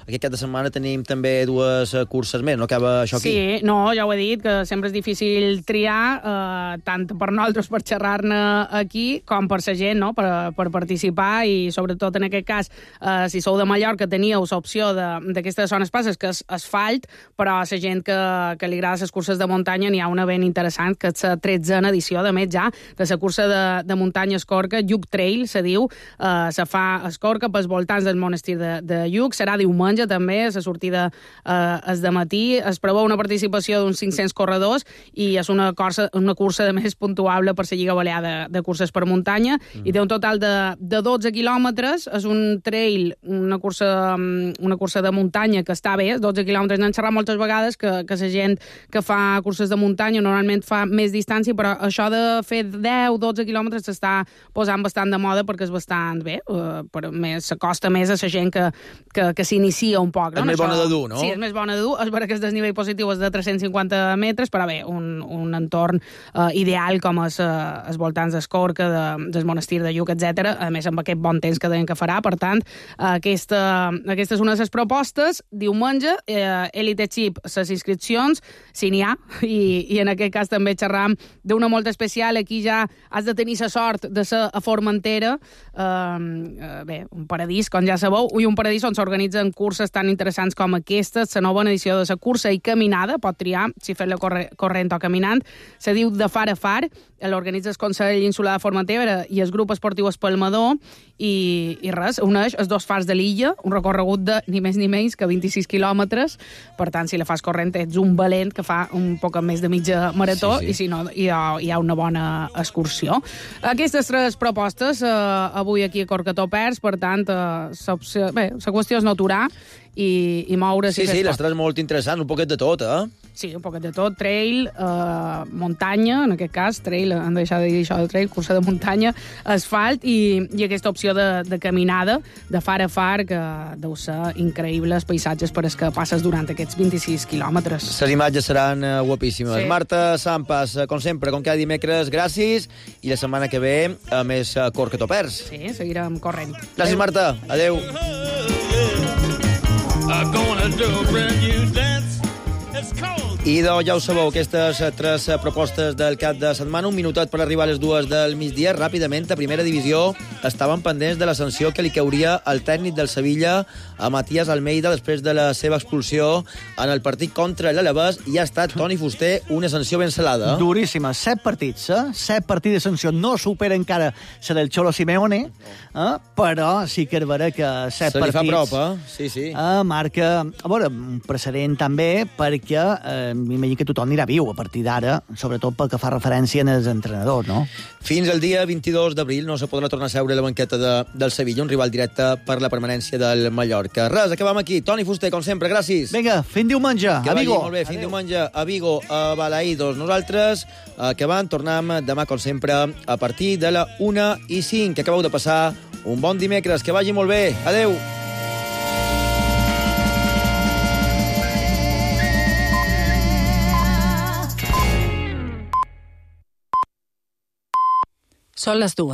aquest cap de setmana tenim també dues curses més, no acaba això aquí? Sí, no, ja ho he dit, que sempre és difícil triar, eh, tant per nosaltres per xerrar-ne aquí, com per la gent, no?, per, per participar, i sobretot en aquest cas, eh, si sou de Mallorca, teníeu l'opció d'aquesta Son Espases, que és asfalt, però a la gent que, que li agrada les curses de muntanya n'hi ha una ben interessant, que és la tretzena edició, de més ja, de la cursa de de muntanya Escorca, Lluc Trail, se diu, eh, se fa a Escorca pels voltants del monestir de, de Lluc, serà diumenge també, la sortida eh, és de matí, es preveu una participació d'uns cinc-cents corredors i és una cursa, una cursa de més puntuable per la Lliga Balear de, de curses per muntanya, mm. i té un total de, de dotze quilòmetres, és un trail, una cursa, una cursa de muntanya que està bé, dotze quilòmetres, n'han xerrat moltes vegades que, que la gent que fa curses de muntanya normalment fa més distància, però això de fer deu dotze quilòmetres quilòmetres s'està posant bastant de moda perquè és bastant bé, uh, però més s'acosta més a la gent que, que, que s'inicia un poc. No? És més Això, bona de dur, no? Sí, és més bona de dur. És vera que el desnivell positiu és de tres-cents cinquanta metres, però bé, un, un entorn uh, ideal com és uh, els voltants d'Escorca, de, del monestir de Lluc, etcètera. A més, amb aquest bon temps que deien que farà. Per tant, uh, aquesta, aquesta és una de les propostes. Diumenge, eh, Elite Chip, les inscripcions, si n'hi ha, i, i en aquest cas també xerram d'una molt especial. Aquí ja has de tenir la sort de ser a Formentera, eh, bé, un paradís, com ja sabeu, i un paradís on s'organitzen curses tan interessants com aquestes, la nova edició de la cursa i caminada, pot triar si fer-la corre, corrent o caminant, se diu de far a far, l'organitza el Consell Insular de Formentera i el grup esportiu Espalmador, i, i res, uneix els dos fars de l'illa, un recorregut de ni més ni menys que vint-i-sis quilòmetres. Per tant, si la fas corrent ets un valent que fa un poc més de mitja marató, sí, sí. I si no hi ha, hi ha una bona excursió. Aquestes tres propostes eh, avui aquí a Corcató Pers, per tant, eh, bé, la qüestió és no aturar i, i moure's. Sí, sí, les tres molt interessants, un poquet de tot, eh? Sí, un poquet de tot, trail, eh, muntanya, en aquest cas, trail, han deixat de dir això de trail, cursa de muntanya, asfalt, i, i aquesta opció de, de caminada, de far a far, que deu ser increïble els paisatges per els que passes durant aquests vint-i-sis quilòmetres. Les imatges seran uh, guapíssimes. Sí. Marta Sampas, com sempre, com cada dimecres, gràcies, i la setmana que ve, a més, uh, Corcató Pers. Sí, seguirem corrent. Gràcies, Marta. Adéu. I doncs ja ho sabeu, aquestes tres propostes del cap de setmana, un minutet per arribar a les dues del migdia. Ràpidament, a primera divisió, estaven pendents de la sanció que li cauria al tècnic del Sevilla, a Matías Almeida, després de la seva expulsió en el partit contra l'Alavés, i ha estat, Toni Fuster, una sanció ben salada. Duríssima. Set partits, eh? Set partits de sanció. No supera encara la del Cholo Simeone, eh? Però sí que és vera que set Se li partits... fa prop, eh? Sí, sí. Eh, marca, a veure, un precedent també, perquè eh, m'imagino que tothom anirà viu a partir d'ara, sobretot pel que fa referència als entrenadors, no? Fins al dia vint-i-dos d'abril no se podrà tornar a seure a la banqueta de, del Sevilla, un rival directe per la permanència del Mallorca. Res, acabem aquí. Toni Fuster, com sempre, gràcies. Vinga, fin diumenge, que a Vigo. Molt bé, fin Adeu. diumenge a Vigo, a Balaïdos. Nosaltres, acabant, tornem demà, com sempre, a partir de la una i cinc. Que acabeu de passar un bon dimecres. Que vagi molt bé. Adeu. Són les dues.